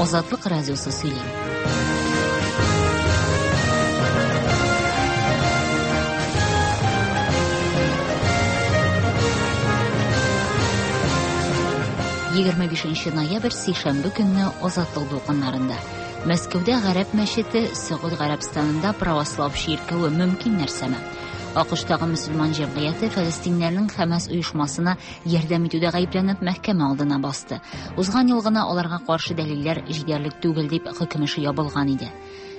Азатлык радиосы сөйли. 25 ноябрь сишәмбе көнне Азатлык дулкыннарында. Мәскәүдә гарәп мәчете, Сөгуд Гарәбстанында православ чиркәве мөмкин нәрсәме? АКШтагы мөселман җәмгыяте фәлестиннәрнең Хәмәс оешмасына ярдәм итүдә гаепләнеп мәхкәмә алдына басты. Узган ел гына аларга каршы дәлилләр җитәрлек түгел дип хөкем эше ябылган иде.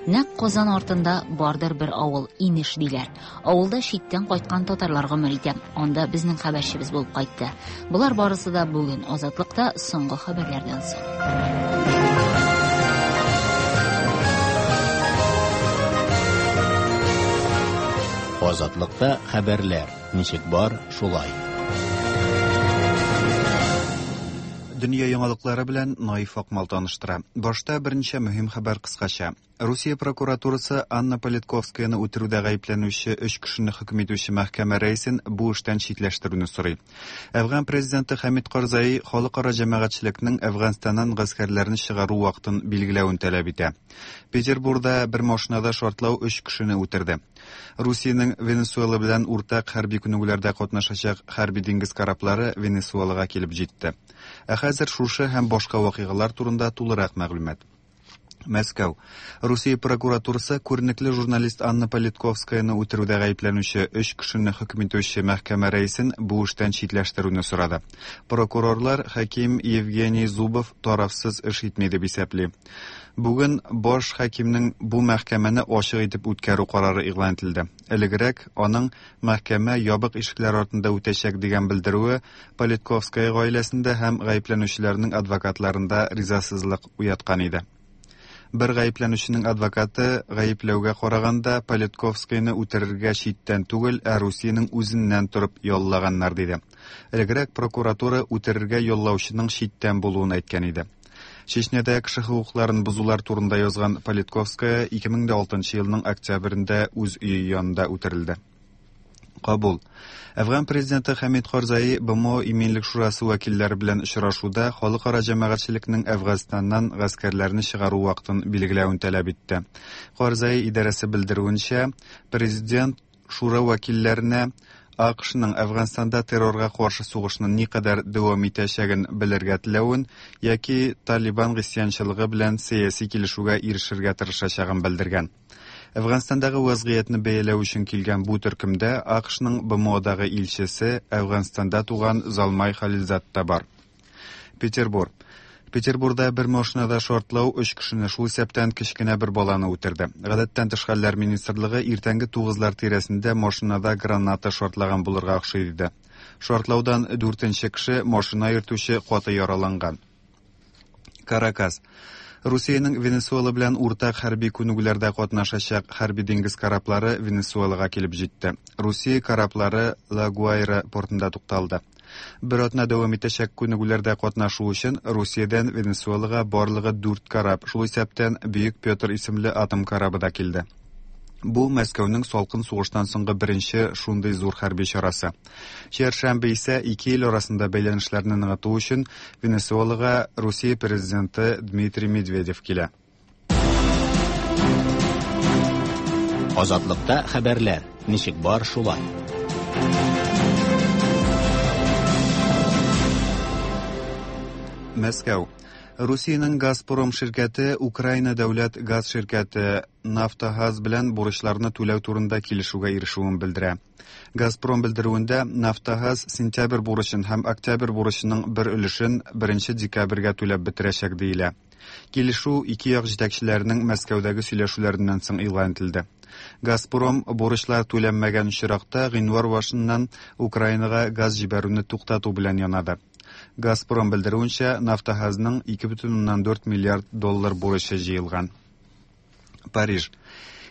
Нәкъ Казан артында бардыр бер авыл, Инеш диләр. Авылда читтән кайткан татарлар гомер итә. Анда безнең хәбәрчебез булып кайтты. Болар барысы да бүген Азатлыкта соңгы хәбәрләрдән соң. Азатлыкта хәбәрләр ничек бар, шулай. Дөнья яңалыклары белән Наиф Акмал таныштыра. Башта берничә мөһим хәбәр кыскача. Русия прокуратурасы Анна Политковскаяны үтерүдә гаепләнүче өч кешене хөкем итүче мәхкәмә рәисен бу эштән читләштерүне сорый. Әфган президенты Хәмид Карзаи халыкара җәмәгатьчелекнең Әфганстаннан гаскәрләрне чыгару вакытын билгеләвен таләп итә. Петербурда бер машинада шартлау өч кешене үтерде. Русиянең Венесуэла белән уртак хәрби күнегүләрдә катнашачак хәрби диңгез кораблары Венесуэлага килеп җитте. Ә хәзер шушы һәм башка вакыйгалар турында тулырак мәгълүмат. Мәскәү. Русия прокуратурасы күренекле журналист Анна Политковскаяны үтерүдә гаепләнүче өч кешене хөкем итүче мәхкәмә рәисен бу эштән читләштерүне сорады. Прокурорлар хаким Евгений Зубов тарафсыз эш итми дип исәпли. Бүген баш хакимнең бу мәхкәмәне ачык итеп үткәрү карары игълан ителде. Элегрәк аның мәхкәмә ябык ишекләр артында үтәчәк дигән белдерүе Политковская гаиләсендә һәм гаепләнүчеләрнең адвокатларында ризасызлык уяткан иде. Бер гаепләнүченең адвокаты гаепләүгә караганда Политковскаяны үтерергә читтән түгел, ә Русиянең үзеннән торып яллаганнар диде. Элегрәк прокуратура үтерергә яллаучының читтән булуын әйткән иде. Чечнядә кеше хокукларын бозулар турында язган Политковская 2006 елның октябрендә үз өе янында үтерелде. Кабул. Әфган президенты Хәмид Карзаи БМО Иминлек шурасы вәкилләре белән очрашуда халыкара җәмәгатьчелекнең Әфганстаннан гаскәрләрне чыгару вакытын билгеләвен таләп итте. Карзаи идарәсе белдерүенчә, президент шура вәкилләренә АКШның Әфганстанда террорга каршы сугышны никадәр дәвам итәчәген белергә теләвен яки Талибан гыйсьянчылыгы белән сәяси килешүгә ирешергә тырышачагын белдергән. Әфганстандагы вазгыятьне бәяләү өчен килгән бу төркемдә АКШның БМОдагы илчесе, Әфганстанда туган Залмай Халилзад та бар. Петербур. Петербурда бер машинада шартлау өч кешене, шул исәптән кечкенә бер баланы үтерде. Гадәттән тыш хәлләр министрлыгы иртәнге тугызлар тирәсендә машинада граната шартлаган булырга охшый диде. Шартлаудан дүртенче кеше, машина йөртүче, каты яраланган. Каракас. Русиянең Венесуэла белән уртак хәрби күнегүләрдә катнашачак хәрби диңгез кораблары Венесуэлага килеп җитте. Русия кораблары Ла Гуайра портында тукталды. Бер атна дәвам итәчәк күнегүләрдә катнашу өчен Русиядән Венесуэлага барлыгы дүрт кораб, шул исәптән Бөек Петр исемле атом корабы да килде. Бу Мәскәүнең салкын сугыштан соңгы беренче шундый зур хәрби чарасы. Чәршәмбе исә ике ил арасында бәйләнешләрне ныгыту өчен Венесуэлага Русия президенты Дмитрий Медведев килә. Азатлыкта хәбәрләр ничек бар шулай. Мәскәү. Русиянең Газпром ширкәте Украина дәүләт газ ширкәте Нафтогаз белән бурычларны түләү турында килешүгә ирешүен белдерә. Газпром белдерүендә Нафтогаз сентябрь бурычын һәм октябрь бурычының бер өлешен 1 декабрьгә түләп бетерәчәк диелә. Килешү ике як җитәкчеләренең Мәскәүдәге сөйләшүләреннән соң игълан ителде. Газпром бурычлар түләнмәгән очракта гыйнвар башыннан Украинага газ җибәрүне туктату белән янады. Газпром белдерүенчә, Нафтогазның 2,4 миллиард доллар бурычы җыелган. Париж.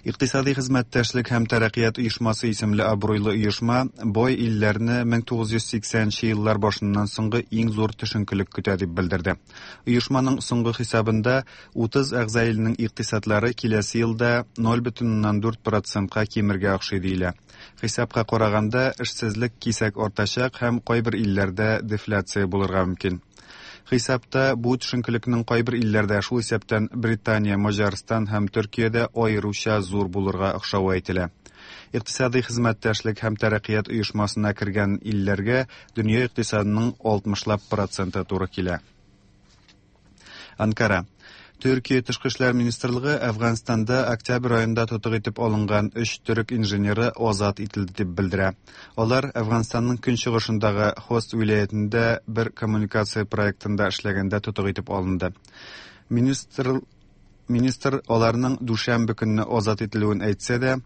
Икътисади хезмәттәшлек һәм тәрәккыят оешмасы исемле абруйлы оешма бай илләрне 1980 нче еллар башыннан соңгы иң зур төшенкелек көтә дип белдерде. Оешманың соңгы хисабында 30 әгъза илнең икътисадлары киләсе елда 0,4 процентка кимергә охшый диелә. Хисапка караганда, эшсезлек кисәк артачак һәм кайбер илләрдә дефляция булырга мөмкин. Хисапта бу төшенкелекнең кайбер илләрдә, шул исәптән Британия, Маҗарстан һәм Төркиядә аеруча зур булырга охшавы әйтелә. Икътисадый хезмәттәшлек һәм тәрәккыят оешмасына кергән илләргә дөнья икътисадының 60 лап проценты туры килә. Анкара. Төркия тышкы эшләр министрлыгы Әфганстанда октябрь аенда тотык итеп алынган өч төрек инженеры азат ителде дип белдерә. Алар Әфганстанның көнчыгышындагы Хост вилаятендә бер коммуникация проектында эшләгәндә тотык итеп алынды. Министр министр аларның дүшәмбе көнне азат ителүен әйтсә дә,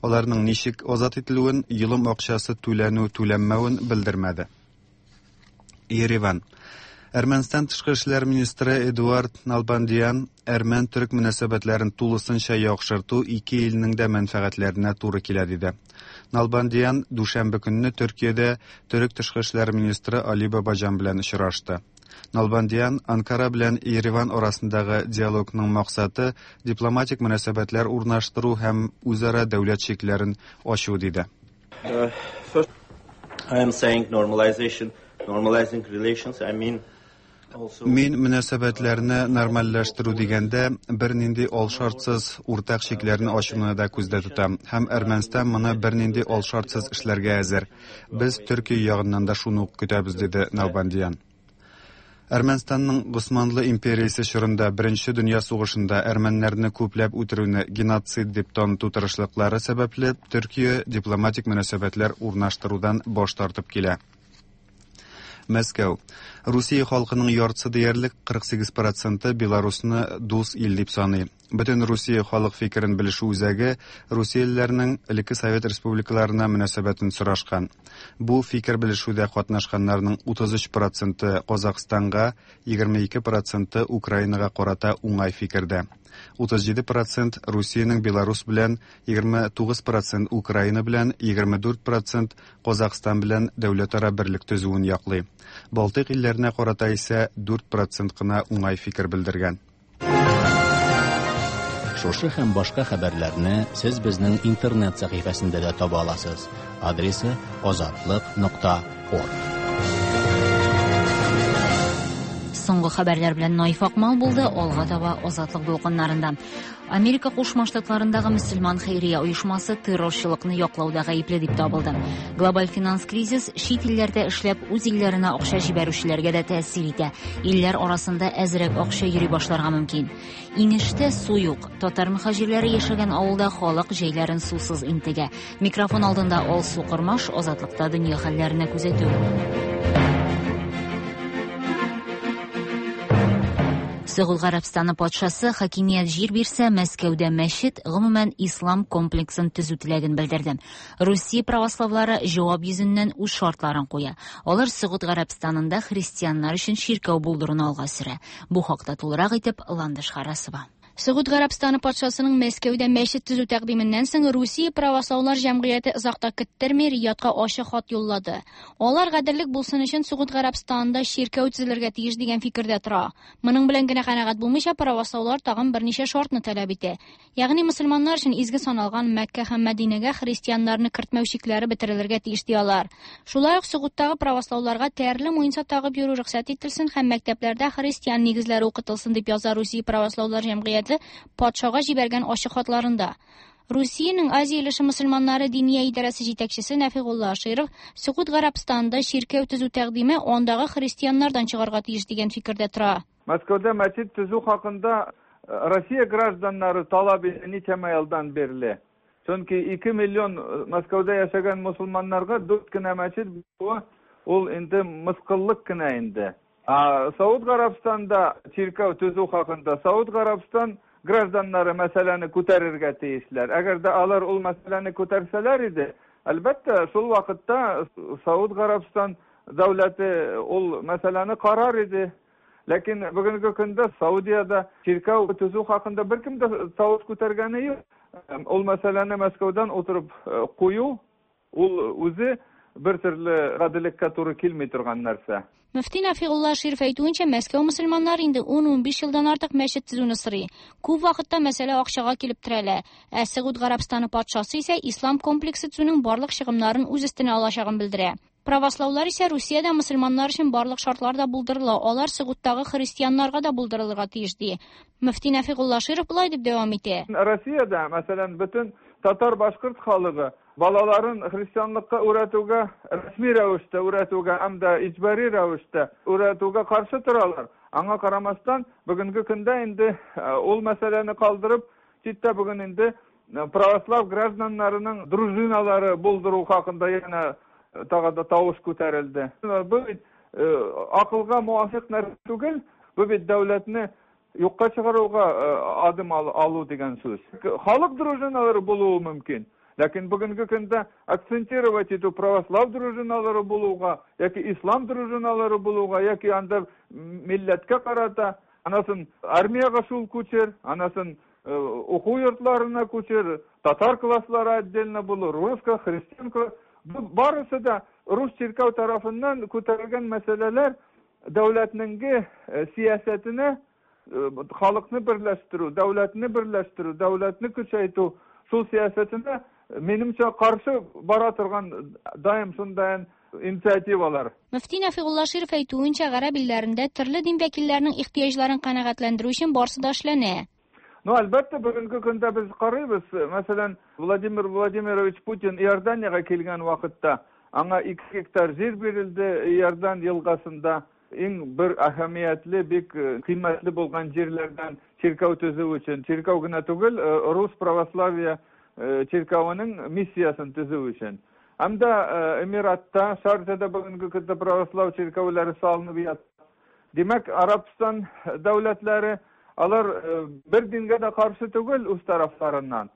аларның ничек азат ителүен, йолым акчасы түләнү-түләнмәвен белдермәде. Ереван. Әрмәнстан тышкы эшләр министры Эдуард Налбандиян әрмән-төрек мөнәсәбәтләрен тулысынча яхшырту ике илнең дә мәнфәгатьләренә туры килә диде. Налбандиян дүшәмбе көнне Төркиядә төрек тышкы эшләр министры Али Бабаҗан белән очрашты. Налбандиян Анкара белән Ереван арасындагы диалогның максаты дипломатик мөнәсәбәтләр урнаштыру һәм үзара дәүләт чикләрен ачу диде. First, I am saying normalization, normalizing relations, I mean Мин мөнәсәбәтләрне нормальләштерү дигәндә бернинди алшартсыз уртак чикләрне ачуны да күздә тотам. Һәм Әрмәнстан моны бернинди алшартсыз эшләргә әзер. Без Төркия ягыннан да шуны ук көтәбез, диде Налбандиян. Әрмәнстанның Госманлы империясе чорында Беренче дөнья сугышында әрмәннәрне күпләп үтерүне геноцид дип таныту тырышлыклары сәбәпле Төркия дипломатик мөнәсәбәтләр урнаштырудан баш тартып килә. Мәскәү. Русия халкының яртысы диярлек 48 проценты Беларусны дус ил дип саный. Бөтен Русия халык фикерен белешү үзәге русиялеләрнең элекке совет республикаларына мөнәсәбәтен сорашкан. Бу фикер белешүдә катнашканнарның 33 проценты Казахстанга, 22 проценты Украинага карата уңай фикердә. 37 процент Русиянең Беларус белән, 29 процент Украина белән, 24 процент Казахстан белән дәүләтара берлек төзүен яклый. Балтыйк илләренә карата исә 4 процент кына уңай фикер белдергән. Шушы һәм башка хәбәрләрне сез безнең интернет сәхифәсендә дә таба аласыз. Адресы azatliq.org. Соңгы хәбәрләр белән Наиф Акмал булды. Алга таба Азатлык дулкыннарында. Америка Кушма Штатларындагы мөселман хәйрия оешмасы террорчылыкны яклауда гаепле дип табылды. Глобаль финанс кризис чит илләрдә эшләп үз илләренә акча җибәрүчеләргә дә тәэсир итә. Илләр арасында әзрәк акча йөри башларга мөмкин. Инештә су юк. Татар мөхаҗирләре яшәгән авылда халык җәйләрен сусыз интегә. Микрофон алдында Алсу Кормаш, Азатлыкта дөнья хәлләренә күзәтү. Сөгуд Гарәбстаны патшасы хакимият җир бирсә, Мәскәүдә мәчет, гомумән ислам комплексын төзү теләген белдерде. Русия православлары җавап йөзеннән үз шартларын куя. Алар Сөгуд Гарәбстанында христианнар өчен чиркәү булдыруны алга сөрә. Бу хакта тулырак итеп Ландыш Харасова. Сөгуд Гарәбстаны патшасының Мәскәүдә мәчет төзү тәкъдименнән соң Русия православлар җәмгыяте озак та көттерми Риядка ачык хат юллады. Алар гаделлек булсын өчен Сөгуд Гарәбстанында чиркәү төзелергә тиеш дигән фикердә тора. Моның белән генә канәгать булмыйча православлар тагын берничә шартны таләп итә. Ягъни мөселманнар өчен изге саналган Мәккә һәм Мәдинәгә христианнарны кертмәү чикләре бетерелергә тиеш ди алар. Шулай ук Сөгудтагы православларга тәрле муенса тагып йөрү рөхсәт ителсен һәм мәктәпләрдә христиан нигезләре укытылсын дип яза Русия православлар җәмгыяте патшага җибәргән ачык хатларында. Русиянең Азия өлеше мөселманнары диния идарәсе җитәкчесе Нәфигулла Аширов Сөгуд Гарәбстанында чиркәү төзү тәкъдиме андагы христианнардан чыгарга тиеш дигән фикердә тора. Мәскәүдә мәчет төзү хакында Россия гражданнары таләп итә ничәмә елдан бирле. Чөнки 2 миллион Мәскәүдә яшәгән мөселманнарга 4 кенә мәчет булуы ул инде мыскыллык кенә инде. А Сауд Гарәбстанда чиркәү төзү хакында Сауд Гарәбстан гражданнары мәсьәләне күтәрергә тиешләр. Әгәр дә алар ул мәсьәләне күтәрсәләр иде, әлбәттә, шул вакытта Сауд Гарәбстан дәүләте ул мәсьәләне карар иде. Ләкин бүгенге көндә Саудиядә чиркәү төзү хакында беркем дә тавыш күтәргәне юк. Ул мәсьәләне Мәскәүдән утырып кую, ул үзе бер төрле гаделлеккә туры килми торган нәрсә. Мөфти Нәфигулла Аширов әйтүенчә, Мәскәү мөселманнары инде 10-15 елдан артык мәчет төзүне сорый. Күп вакытта мәсьәлә акчага килеп терәлә. Ә Сөгуд Гарәбстаны патшасы исә ислам комплексы төзүнең барлык чыгымнарын үз өстенә алачагын белдерә. Правослаулар исә Русиядә мөселманнар өчен барлык шартлар да булдырыла, алар Согудтагы христианнарга да булдырылырга тиеш, ди. Мөфти Нәфигулла Широв болай дип дәвам итә. Россиядә, мәсәлән, бөтен татар-башкорт халыгы балаларын христианлыкка өйрәтүгә, рәсми рәвештә өйрәтүгә һәм дә иҗбари рәвештә өйрәтүгә каршы торалар. Аңа карамастан, бүгенге көндә инде ул мәсьәләне калдырып, читтә бүген инде православ гражданнарының дружиналары булдыру хакында янә тагы да тавыш күтәрелде. Бу бит акылга муафыйк нәрсә түгел, бу бит дәүләтне юкка чыгаруга адым алу дигән сүз. Халык дружиналары булуы мөмкин. Ләкин бүгенге көндә акцентировать итү православ дружиналары булуга, яки ислам дружиналары булуга, яки анда милләткә карата, анасын армиягә шул күчер, анасын уку йортларына күчер, татар класслары отдельно булыр, русско, христиан. Бу барысы да рус чиркәү тарафыннан күтәрелгән мәсьәләләр дәүләтнең сәясәтенә халыкны берләштерү, дәүләтне берләштерү, дәүләтне көчәйтү шул сәясәтенә минемчә каршы бара торган даим шундай инициативалар. Мөфти Нәфигулла Широв әйтүенчә, гарәп илләрендә төрле дин вәкилләренең ихтыяҗларын канәгатьләндерү өчен барысы да эшләнә. Ну, әлбәттә, бүгенге көндә без карыйбыз, мәсәлән, Владимир Владимирович Путин Иорданиягә килгән вакытта аңа 2 гектар җир бирелде Иордан елгасында. Иң бер әһәмиятле, бик кыйммәтле булган җирләрдән чиркәү төзү өчен, чиркәү генә түгел, рус православие чиркәвенең миссиясын төзү өчен. Һәм дә Эмиратта, Шарджада бүгенге көндә православ чиркәүләре салынып ята. Димәк, Арабстан дәүләтләре алар бер дингә дә каршы түгел үз тарафларыннан.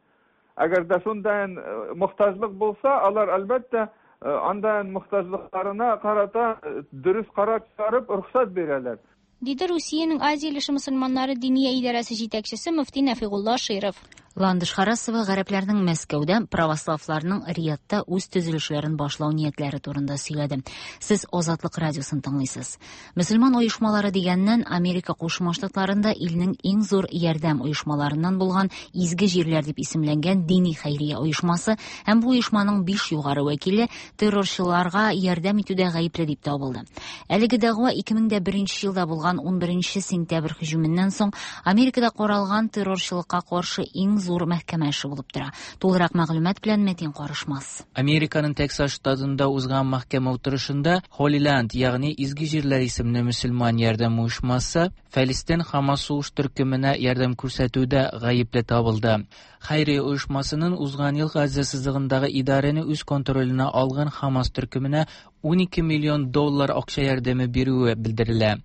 Әгәр дә шундай мохтаҗлык булса, алар әлбәттә андай мохтаҗлыкларына карата дөрес карар чыгарып рөхсәт бирәләр. Диде Русиянең Азия өлеше мөселманнары диния идарәсе җитәкчесе мөфти Нәфигулла Широв. Ландыш Харасова гарәпләрнең Мәскәүдә православларның Риядта үз төзелешләрен башлау ниятләре турында сөйләде. Сез Азатлык радиосын тыңлыйсыз. Мөселман оешмалары дигәннән Америка Кушма Штатларында илнең иң зур ярдәм оешмаларыннан булган Изге җирләр дип исемләнгән дини хәйрия оешмасы һәм бу оешманың 5 югары вәкиле террорчыларга ярдәм итүдә гаепле дип табылды. Әлеге дәгъва 2001 елда булган 11 сентябрь һөҗүменнән соң Америкада каралган террорчылыкка каршы иң зур мәхкәмә эше булып тора. Тулырак мәгълүмат белән Мәтин Карышмас. Американың Тексас штатында узган мәхкәмә утырышында Holy Land, ягъни Изге җирләр исемле мөселман ярдәм оешмасы Фәлестин Хамас сугыш төркеменә ярдәм күрсәтүдә гаепле табылды. Хәйрия оешмасының узган ел Газа сызыгындагы идарәне үз контроленә алган Хамас төркеменә 12 миллион доллар акча ярдәме бирүе белдерелә.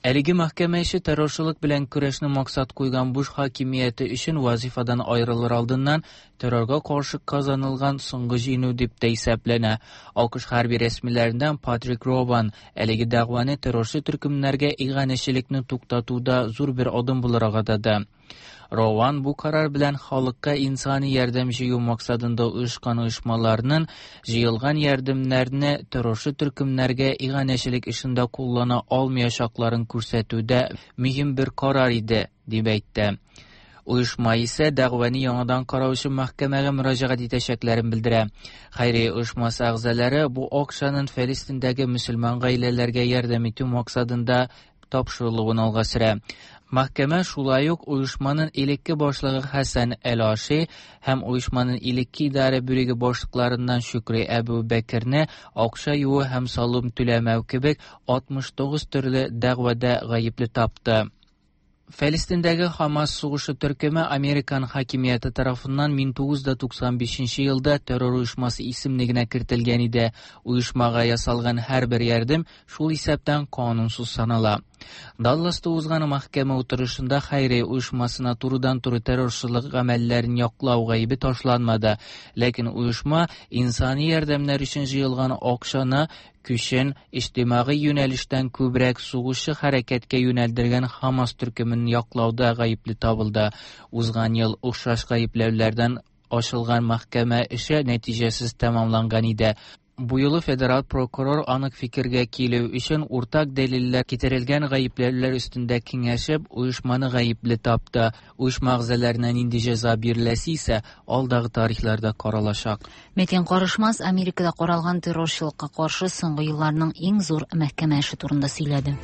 Әлеге мәхкәмә эше террорчылык белән көрәшне максат куйган Буш хакимияте өчен вазифадан аерылыр алдыннан террорга каршы казанылган соңгы җиңү дип тә исәпләнә. АКШ хәрби рәсмиләреннән Патрик Рован әлеге дәгъваны террорчы төркемнәргә иганәчелекне туктатуда зур бер адым буларак атады. Рован бу карар белән халыкка инсани ярдәм җыю максатында оешкан оешмаларның җыелган ярдәмнәрне террорчы төркемнәргә иганәчелек эшендә куллана алмаячакларын күрсәтүдә мөһим бер карар иде, дип әйтте. Оешма исә дәгъваны яңадан карау өчен мәхкәмәгә мөрәҗәгать итәчәкләрен белдерә. Хәйрия оешмасы әгъзалары бу акчаның Фәлестиндәге мөселман гаиләләргә ярдәм итү максатында тапшырылуын алга сөрә. Мәхкәмә шулай ук оешманың элекке башлыгы Хәсән Әл-Аши һәм оешманың элекке идарә бүлеге башлыкларыннан Шүкри Әбу Бәкерне акча юуу һәм салым түләмәү кебек 69 төрле дәгъвада гаепле тапты. Фәлестиндәге Хамас сугышы төркеме Американ хакимияте тарафыннан 1995 елда террор оешмасы исемлегенә кертелгән иде. Оешмага ясалган һәрбер ярдәм шул исәптән канунсыз санала. Далласта узган мәхкәмә утырышында хәйрия оешмасына турыдан-туры террорчылык гамәлләрен яклау гаебе ташланмады. Ләкин оешма инсани ярдәмнәр өчен җыелган акчаны көчен иҗтимагый юнәлештән күбрәк сугышчы хәрәкәткә юнәлдергән Хамас төркемен яклауда гаепле табылды. Узган ел охшаш гаепләүләрдән ачылган мәхкәмә эше нәтиҗәсез тәмамланган иде. Бу юлы федераль прокурор анык фикергә килү өчен уртак дәлилләр китерелгән гаепләүләр өстендә киңәшеп, оешманы гаепле тапты. Оешма әгъзаларына нинди җәза биреләсе исә алдагы тарихларда каралачак. Метин Карышмас Америкада каралган террорчылыкка каршы соңгы елларның иң зур мәхкәмә эше турында сөйләде.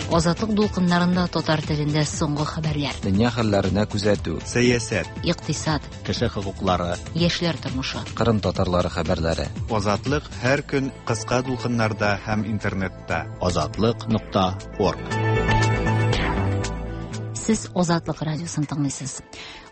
Азатлык дулкыннарында татар телендә соңгы хәбәрләр. Дөнья хәлләренә күзәтү. Сәясәт. Икътисад. Кеше хокуклары. Яшьләр тормышы. Кырым татарлары хәбәрләре. Азатлык һәр көн кыска дулкыннарда һәм интернетта. Азатлык.орг. Сез Азатлык радиосын тыңлыйсыз.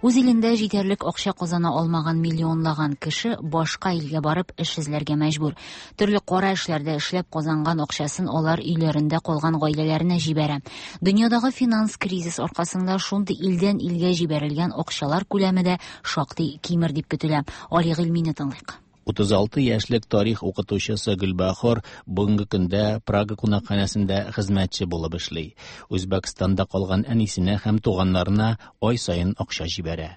Үз илендә җитәрлек акча казана алмаган миллионлаган кеше башка илгә барып эш эзләргә мәҗбүр. Төрле кара эшләрдә эшләп казанган акчасын алар өйләрендә калган гаиләләренә җибәрә. Дөньядагы финанс кризис аркасында шундый илдән илгә җибәрелгән акчалар күләме дә шактый кимер дип көтелә. Али Гыйльмине тыңлыйк. 36 яшьлек тарих укытучысы Гөлбахор бүгенге көндә Прага кунакханәсендә хезмәтче булып эшли. Үзбәкстанда калган әнисенә һәм туганнарына ай саен акча җибәрә.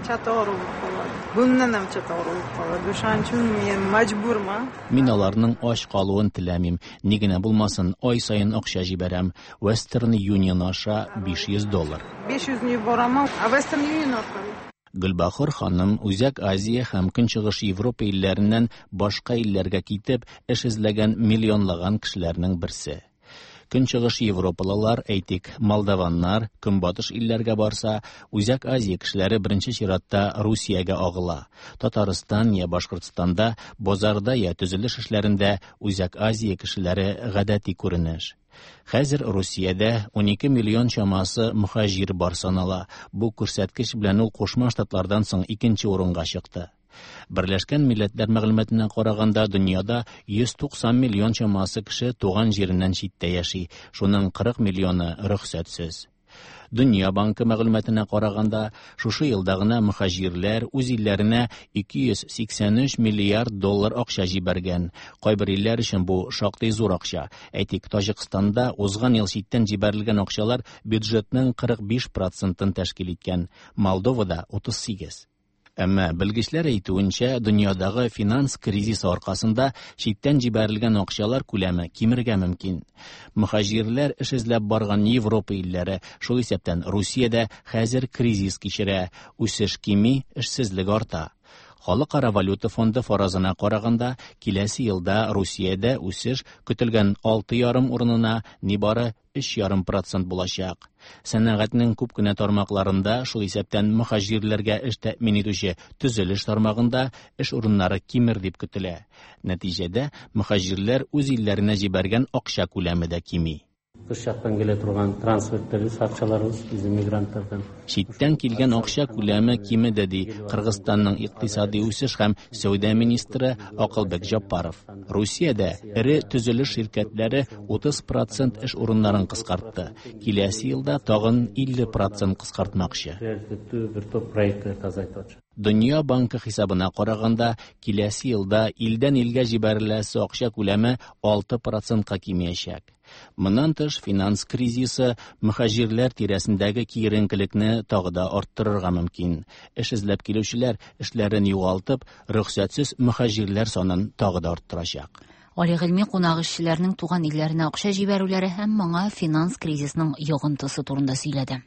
Чатор bo'lib qoladi. Bundan ham chatoq bo'lib qoladi. O'shaning uchun men majburman. Мин аларның ач калуын теләмим. Ни генә булмасын, ай саен акча җибәрәм. Western Union аша 500 доллар. 500 ni yuboraman, Western Union orqali. Гөлбахор ханым Үзәк Азия һәм Көнчыгыш Европа илләреннән башка илләргә китеп, эш эзләгән миллионлаган кешеләрнең берсе. Көнчыгыш Европалылар, әйтик, молдаваннар көнбатыш илләргә барса, Үзәк Азия кешеләре беренче чиратта Русиягә агыла. Татарстан я Башкортстанда базарда я төзелеш эшләрендә Үзәк Азия кешеләре гадәти күренеш. Хәзер Русиядә 12 миллион чамасы мөхаҗир бар санала. Бу күрсәткеч белән ул Кушма Штатлардан соң икенче урынга чыкты. Берләшкән Милләтләр мәгълүматына караганда, дөньяда 190 миллион чамасы кеше туган җиреннән читтә яши, шуның 40 миллионы рөхсәтсез. Дөнья банкы мәгълүматына караганда, шушы елда гына мөхаҗирләр үз илләренә 283 миллиард доллар акча җибәргән. Кайбер илләр өчен бу шактый зур акча. Әйтик, Таҗикстанда узган ел читтән җибәрелгән акчалар бюджетның 45 процентын тәшкил иткән, Молдовада 38. Әмма белгечләр әйтүенчә, дөньядагы финанс кризисы аркасында читтән җибәрелгән акчалар күләме кимергә мөмкин. Мөхаҗирләр эш эзләп барган Европа илләре, шул исәптән Русия дә хәзер кризис кичерә, үсеш кими, эшсезлек арта. Халыкара валюта фонды фаразына караганда, киләсе елда Русиядә үсеш көтелгән 6,5 урынына нибары 3,5% булачак. Сәнәгатьнең күп кенә тармакларында, шул исәптән мөхаҗирләргә эш тәэмин итүче төзелеш тармагында эш урыннары кимер дип көтелә. Нәтиҗәдә мөхаҗирләр үз илләренә җибәргән акча күләме дә кими. Тыш жактан келе турган трансферттерибиз, акчаларыбыз биздин мигранттардан. Читтән килгән акча күләме кимеде, ди Кыргызстанның икътисади үсеш һәм сәүдә министры Акылбек Жаппаров. Русиядә эре төзелеш ширкәтләре 30% эш урыннарын кыскартты. Киләсе елда тагын 50% кыскартмакчы. Приоритеттүү бир топ проекттерди азайтып атышат. Дөнья банкы хисабына караганда, киләсе елда илдән илгә җибәреләсе акча күләме 6%-ка кимиячәк. Моннан тыш, финанс кризисы мөхаҗирләр тирәсендәге киеренкелекне тагы да арттырырга мөмкин. Эш эзләп килүчеләр эшләрен югалтып, рөхсәтсез мөхаҗирләр санын тагы да арттырачак. Али Гыйльми кунак эшчеләрнең туган илләренә акча җибәрүләре һәм моңа финанс кризисының йогынтысы турында сөйләде.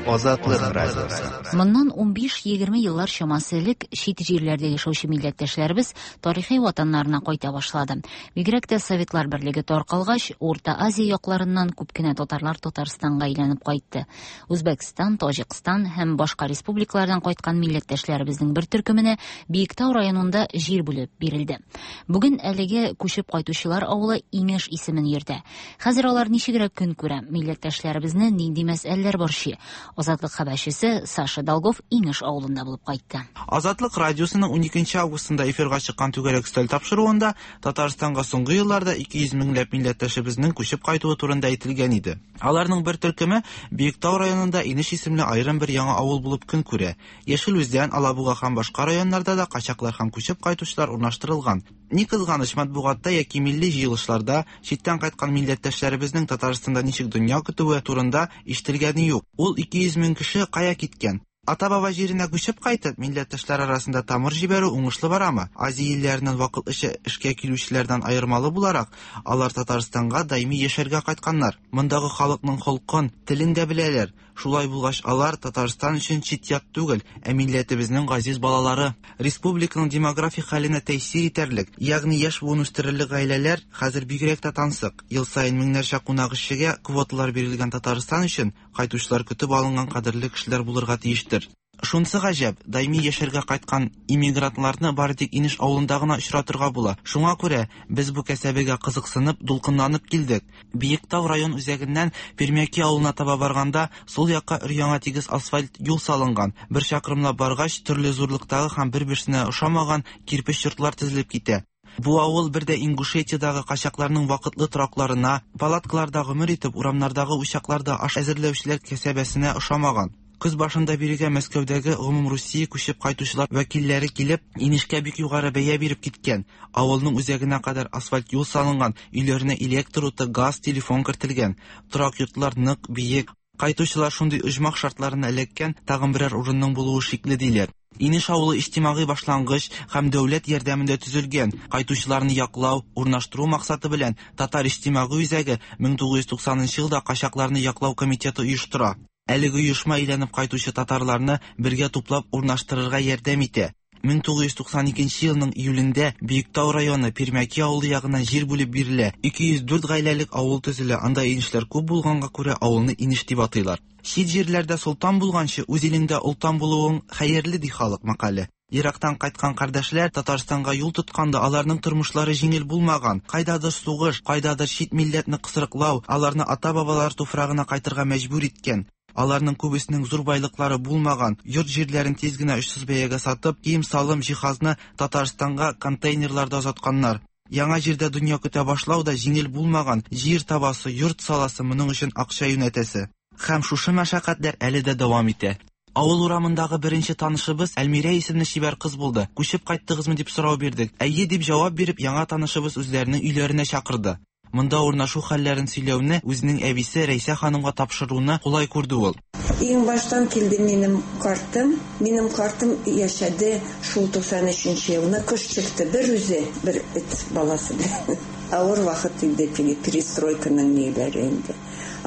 Азатлык радиосы. Моннан 15-20 еллар чамасы элек чит җирләрдә яшәүче милләттәшләребез тарихи ватаннарына кайта башлады. Бигрәк тә Советлар берлеге таркалгач, Урта Азия якларыннан күп кенә татарлар Татарстанга әйләнеп кайтты. Үзбәкстан, Таҗикстан һәм башка республикалардан кайткан милләттәшләребезнең бер төркеменә Биектау районында җир бүлеп бирелде. Бүген әлеге күчеп кайтучылар авылы Иңеш исемен йөртә. Хәзер алар ничегрәк көн күрә? Милләттәшләребезне нинди мәсьәләләр борчый? Азатлык хәбәрчесе Саша Долгов Инеш авылында булып кайтты. Азатлык радиосының 12 августында эфирга чыккан Түгәрәк өстәл тапшыруында Татарстанга соңгы елларда 200 меңләп милләттәшебезнең күчеп кайтуы турында әйтелгән иде. Аларның бер төркеме Биектау районында Инеш исемле аерым бер яңа авыл булып көн күрә. Яшел Үзән, Алабуга һәм башка районнарда да качаклар һәм күчеп кайтучылар урнаштырылган. Ни кызганыч, матбугатта яки милли җыелышларда читтән кайткан милләттәшләребезнең Татарстанда ничек дөнья көтүе турында ишетелгәне юк. Ул 200 мең кеше кая киткән? Ата-баба җиренә күчеп кайтып, милләттәшләр арасында тамыр җибәрү уңышлы барамы? Азия илләреннән вакытлыча эшкә килүчеләрдән аермалы буларак, алар Татарстанга даими яшәргә кайтканнар. Мондагы халыкның холкын, телен дә беләләр. Шулай булгач, алар Татарстан өчен чит-ят түгел, ә милләтебезнең газиз балалары. Республиканың демографик хәленә тәэсир итәрлек, ягъни яшь буын үстерерлек гаиләләр хәзер бигрәк тә тансык. Ел саен меңнәрчә кунак эшчегә квоталар бирелгән Татарстан өчен кайтучылар көтеп алынган кадерле кешеләр булырга тиештер. Шунысы гаҗәп, даими яшәргә кайткан иммигрантларны бары тик Инеш авылында гына очратырга була. Шуңа күрә без бу кәсәбегә кызыксынып, дулкынланып килдек. Биектау район үзәгеннән Пермяки авылына таба барганда, сул якка өр-яңа тигез асфальт юл салынган. Бер чакрымлап баргач, төрле зурлыктагы һәм бер-берсенә ошамаган кирпеч йортлар тезелеп китә. Бу авыл бер дә Ингушетиядагы качакларның вакытлы торакларына, палаткаларда гомер итеп, урамнардагы учакларда аш әзерләүчеләр кәсәбәсенә ошамаган. Көз башында бирегә Мәскәүдәге гомумрусия күчеп кайтучылар вәкилләре килеп, инешкә бик югары бәя биреп киткән. Авылның үзәгенә кадәр асфальт юл салынган, өйләренә электр уты, газ, телефон кертелгән. Торак йортлар нык, биек. Кайтучылар шундый оҗмах шартларына эләккән, тагын берәр урынның булуы шикле, диләр. Инеш авылы иҗтимагый башлангыч һәм дәүләт ярдәмендә төзелгән. Кайтучыларны яклау, урнаштыру максаты белән Татар иҗтимагый үзәге 1990 нчы елда качакларны яклау комитеты оештыра. Әлеге оешма әйләнеп кайтучы татарларны бергә туплап урнаштырырга ярдәм итә. 1992 елның июлендә Биектау районы Пермяки авылы ягыннан җир бүлеп бирелә. 204 гаиләлек авыл төзелә, анда инешләр күп булганга күрә авылны Инеш дип атыйлар. Чит җирләрдә солтан булганчы, үз илеңдә олтан булуың хәерле, ди халык мәкале. Ерактан кайткан кардәшләр Татарстанга юл тотканда аларның тормышлары җиңел булмаган. Кайдадыр сугыш, кайдадыр чит милләтне кысрыклау аларны ата-бабалар туфрагына кайтырга мәҗбүр иткән. Аларның күбесенең зур байлыклары булмаган, йорт-җирләрен тиз генә очсыз бәягә сатып, кием-салым, җиһазны Татарстанга контейнерларда озатканнар. Яңа җирдә дөнья көтә башлау да җиңел булмаган, җир табасы, йорт саласы, моның өчен акча юнәтәсе. Һәм шушы мәшәкатьләр әле дә дәвам итә. Авыл урамындагы беренче танышыбыз Әлмирә исемле чибәр кыз булды. Күчеп кайттыгызмы дип сорау бирдек. Әйе дип җавап биреп, яңа танышыбыз үзләренең өйләренә чакырды. Монда урнашу хәлләрен сөйләүне үзенең әбисе Рәйсә ханымга тапшыруны кулай күрде ул. Иң баштан килде минем картым. Минем картым яшәде шул 93 нче елны. Кыш чыкты бер үзе, бер эт баласы белән. Авыр вакыт инде теге перестройканың ниләре инде.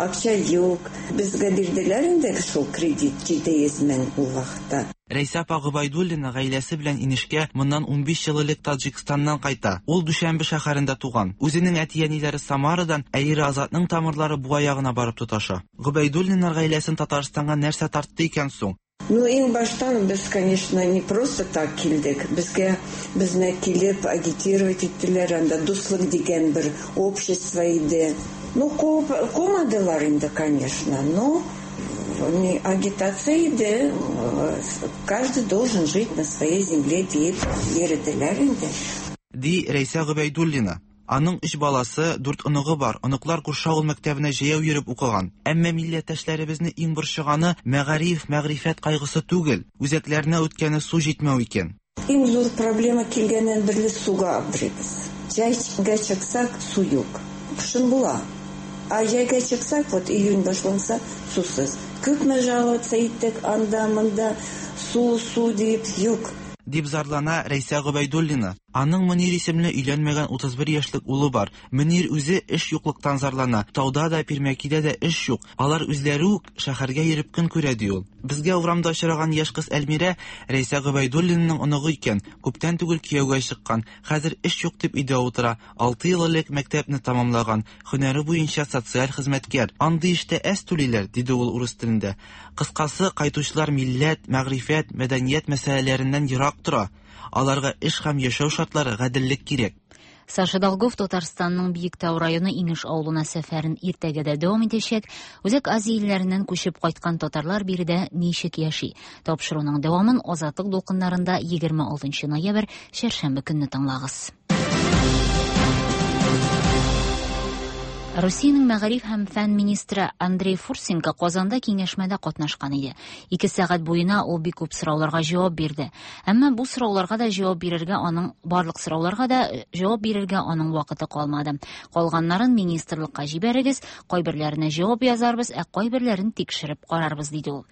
Акча юк. Безгә бирделәр инде шул кредит 700 мең ул вакытта. Рәйсә апа Гобәйдуллина гаиләсе белән Инешкә моннан 15 ел элек Таҗикстаннан кайта. Ул Дүшәнбе шәһәрендә туган. Үзенең әти-әниләре Самарадан, ә ире Азатның тамырлары Буа ягына барып тоташа. Гобәйдуллиннар гаиләсен Татарстанга нәрсә тартты икән соң? Ну, иң баштан без, конечно, не просто так килдек. Безгә, безне килеп агитировать иттеләр, анда Дуслык дигән бер общество иде. Ну, куып, кумадылар инде, конечно, но агитация иде, каждый должен жить на своей земле диеп йөределәр инде. Ди Рәйсә Гобәйдуллина. Аның өч баласы, дүрт оныгы бар. Оныклар күрше авыл мәктәбенә җәяү йөреп укыган. Әмма милләттәшләребезне иң борчыганы мәгариф, мәгърифәт кайгысы түгел, үзәкләренә үткәне су җитмәү икән. Иң зур проблема килгәннән бирле суга аптырыйбыз. Җәйгә чыксак, су юк. Кышын була. Ә җәйгә чыксак, вот июнь башланса, сусыз. Күпме жаловаться иттек анда, монда, су, су дип, юк. Дип зарлана Рәйсә Гобәйдуллина. Аның Мөнир исемле өйләнмәгән 31 яшьлек улы бар. Мөнир үзе эш юклыктан зарлана. Тауда да, Пирмәкидә дә эш юк. Алар үзләре үк шәһәргә йөреп көн күрә, ди ул. Безгә урамда очраган яшь кыз Әлмирә Рәйсә Гобәйдуллинаның оныгы икән. Күптән түгел кияүгә чыккан. Хәзер эш юк дип өйдә утыра. Алты ел элек мәктәпне тәмамлаган. Һөнәре буенча социаль хезмәткәр. Андый эштә әз түлиләр, диде ул урыс телендә. Кыскасы, кайтучылар милләт, мәгърифәт, мәдәният мәсьәләләреннән ерак тора. Аларга эш һәм яшәү шартлары, гаделлек кирәк. Саша Долгов Татарстанның Биектау районы Иңеш авылына сәфәрен иртәгә дә дәвам итәчәк. Үзәк Азия илләреннән күчеп кайткан татарлар биредә ничек яши? Тапшыруның дәвамын Азатлык дулкыннарында 26 ноябрь чәршәмбе көнне тыңлагыз. Русиянең мәгариф һәм фән министры Андрей Фурсенко Казанда киңәшмәдә катнашкан иде. Ике сәгать буена ул бик күп сорауларга җавап бирде. Әмма бу сорауларга да җавап бирергә аның барлык сорауларга да э, җавап бирергә аның вакыты калмады. Калганнарын министрлыкка җибәрегез, кайберләренә җавап язарбыз, ә кайберләрен тикшереп карарбыз, диде ул.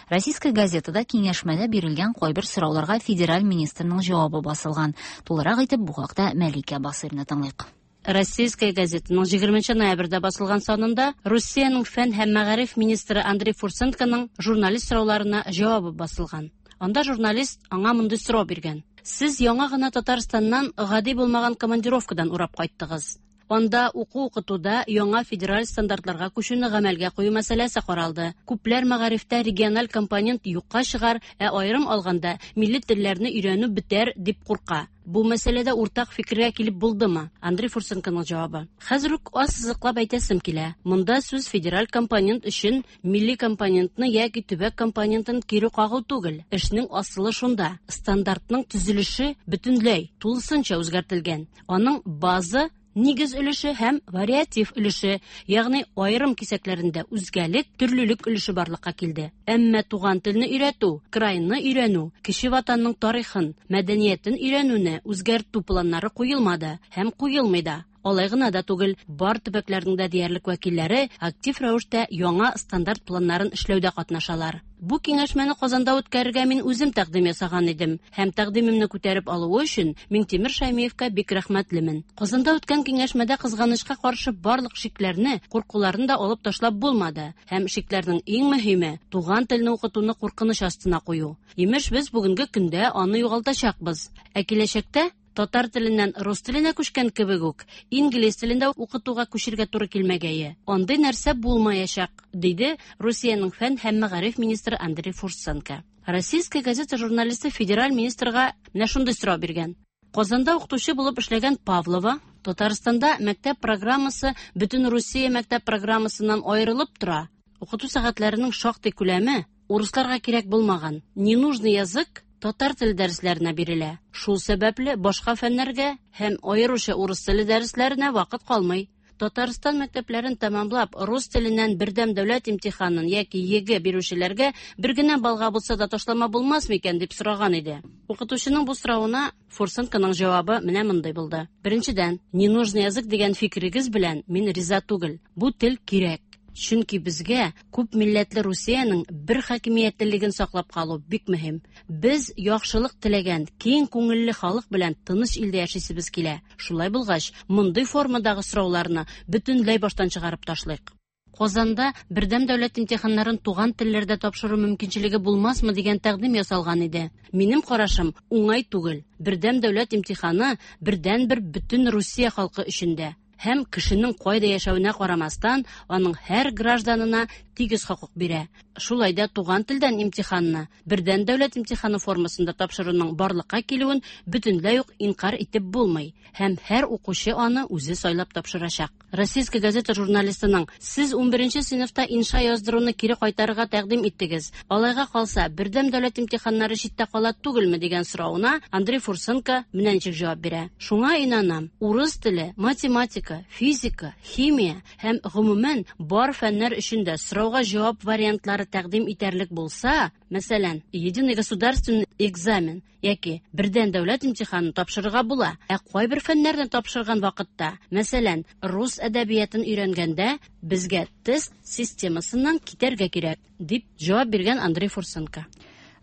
Российская газетада киңәшмәдә бирелгән кайбер сорауларга федераль министрның җавабы басылган. Тулырак итеп бу хакта Мәликә Басыйрны тыңлыйк. Российская газетаның 20 ноябрьдә басылган санында Русиянең фән һәм мәгариф министры Андрей Фурсенконың журналист сорауларына җавабы басылган. Анда журналист аңа мондый сорау биргән. Сез яңа гына Татарстаннан гади булмаган командировкадан урап кайттыгыз. Анда уку-укытуда яңа федераль стандартларга күчүне гамәлгә кую мәсьәләсе каралды. Күпләр мәгарифтә региональ компонент юкка чыгар, ә аерым алганда милли телләрне өйрәнү бетәр дип курка. Бу мәсьәләдә уртак фикергә килеп булдымы? Андрей Фурсенконың җавабы. Хәзер үк ассызыклап әйтәсем килә. Монда сүз федераль компонент өчен милли компонентны яки төбәк компонентын кире кагу түгел. Эшнең асылы шунда. Стандартның төзелеше бөтенләй, тулысынча үзгәртелгән. Аның база нигез өлеше һәм вариатив өлеше, ягъни аерым кисәкләрендә үзгәлек, төрлелек өлеше барлыкка килде. Әмма туган телне өйрәтү, крайны өйрәнү, кече ватанның тарихын, мәдәниятен өйрәнүне үзгәртү планнары куелмады һәм куелмый да. Алай гына да түгел, бар төбәкләрнең дә диярлек вәкилләре актив рәвештә яңа стандарт планнарын эшләүдә катнашалар. Бу киңәшмәне Казанда үткәрергә мин үзем тәкъдим ясаган идем һәм тәкъдимемне күтәреп алуы өчен Миңтимер Шәймиевкә бик рәхмәтлемен. Казанда үткән киңәшмәдә кызганычка каршы барлык шикләрне, куркуларны да алып ташлап булмады һәм шикләрнең иң мөһиме туган телне укытуны куркыныч астына кую. Имеш, без бүгенге көндә аны югалтачакбыз. Ә киләчәктә татар теленнән рус теленә күчкән кебек үк, инглиз телендә укытуга күчергә туры килмәгәе. Андый нәрсә булмаячак, диде Русиянең фән һәм мәгариф министры Андрей Фурсенко. Российская газета журналисты федераль министрга менә шундый сорау биргән. Казанда укытучы булып эшләгән Павлова Татарстанда мәктәп программасы бөтен Русия мәктәп программасыннан аерылып тора. Укыту сәгатьләренең шактый күләме урысларга кирәк булмаган. Ненужный язык татар теле дәресләренә бирелә. Шул сәбәпле башка фәннәргә һәм аеруча урыс теле дәресләренә вакыт калмый. Татарстан мәктәпләрен тәмамлап, рус теленнән бердәм дәүләт имтиханын яки ЕГЭ бирүчеләргә бер генә баллга булса да ташлама булмас микән дип сораган иде. Укытучының бу соравына Фурсенконың җавабы менә мондый булды. Беренчедән, ненужный язык дигән фикерегез белән мин риза түгел. Бу тел кирәк. Чөнки безгә күп милләтле Русиянең бер хакимиятлелеген саклап калу бик мөһим. Без яхшылык теләгән, киң күңелле халык белән тыныч илдә яшисебез килә. Шулай булгач, мондый формадагы сорауларны бөтенләй баштан чыгарып ташлыйк. Казанда бердәм дәүләт имтиханнарын туган телләрдә тапшыру мөмкинчелеге булмасмы дигән тәкъдим ясалган иде. Минем карашым уңай түгел. Бердәм дәүләт имтиханы бердәнбер бөтен Русия халкы өчен дә һәм кешенең кайда яшәвенә карамастан, аның һәр гражданына тигез хокук бирә. Шулай да туган телдән имтиханны бердәм дәүләт имтиханы формасында тапшыруның барлыкка килүен бөтенләй үк инкарь итеп булмый һәм һәр укучы аны үзе сайлап тапшырачак. Российская газета журналистының «Сез 11 сыйныфта инша яздыруны кире кайтарырга тәкъдим иттегез. Алайга калса, бердәм дәүләт имтиханнары читтә кала түгелме?» дигән соравына Андрей Фурсенко менә ничек җавап бирә. Шуңа инанам, урыс теле, математика, физика, химия һәм гомумән бар фәннәр өчен дә сорауга җавап вариантлары тәкъдим итәрлек булса, мәсәлән, единый государственный экзамен яки бердәм дәүләт имтиханын тапшырырга була. Ә кайбер фәннәрне тапшырган вакытта, мәсәлән, рус әдәбиятын өйрәнгәндә, безгә тест системасыннан китәргә кирәк, дип җавап биргән Андрей Фурсенко.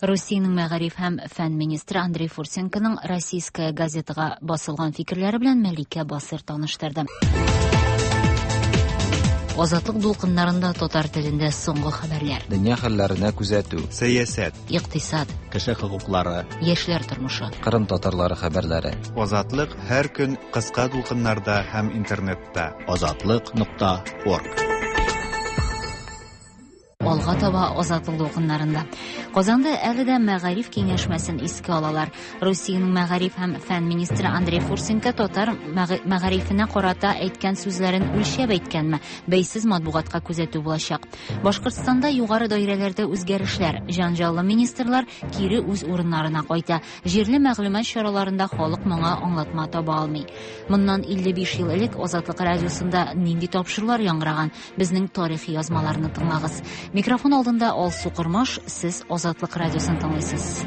Русиянең мәгариф һәм фән министры Андрей Фурсенконың Российская газетага басылган фикерләре белән Мәликә Басыр таныштырды. Азатлык дулкыннарында татар телендә соңгы хәбәрләр. Дөнья хәлләренә күзәтү. Сәясәт. Икътисад. Кеше хокуклары. Яшьләр тормышы. Кырым татарлары хәбәрләре. Азатлык һәр көн кыска дулкыннарда һәм интернетта. Азатлык.орг. Алга таба Азатлык дулкыннарында. Казанда әле дә мәгариф киңәшмәсен искә алалар. Русиянең мәгариф һәм фән министры Андрей Фурсенко татар мәгарифенә карата әйткән сүзләрен үлчәп әйткәнме? Бәйсез матбугатка күзәтү булачак. Башкортстанда югары даирәләрдә үзгәрешләр. Җанҗаллы министрлар кире үз урыннарына кайта. Җирле мәгълүмат чараларында халык моңа аңлатма таба алмый. Моннан 55 ел элек Азатлык радиосында нинди тапшырулар яңгыраган? Безнең тарихи язмаларны тыңлагыз. Микрофон алдында Алсу Кормаш, сез Азатлык радиосын тыңлыйсыз.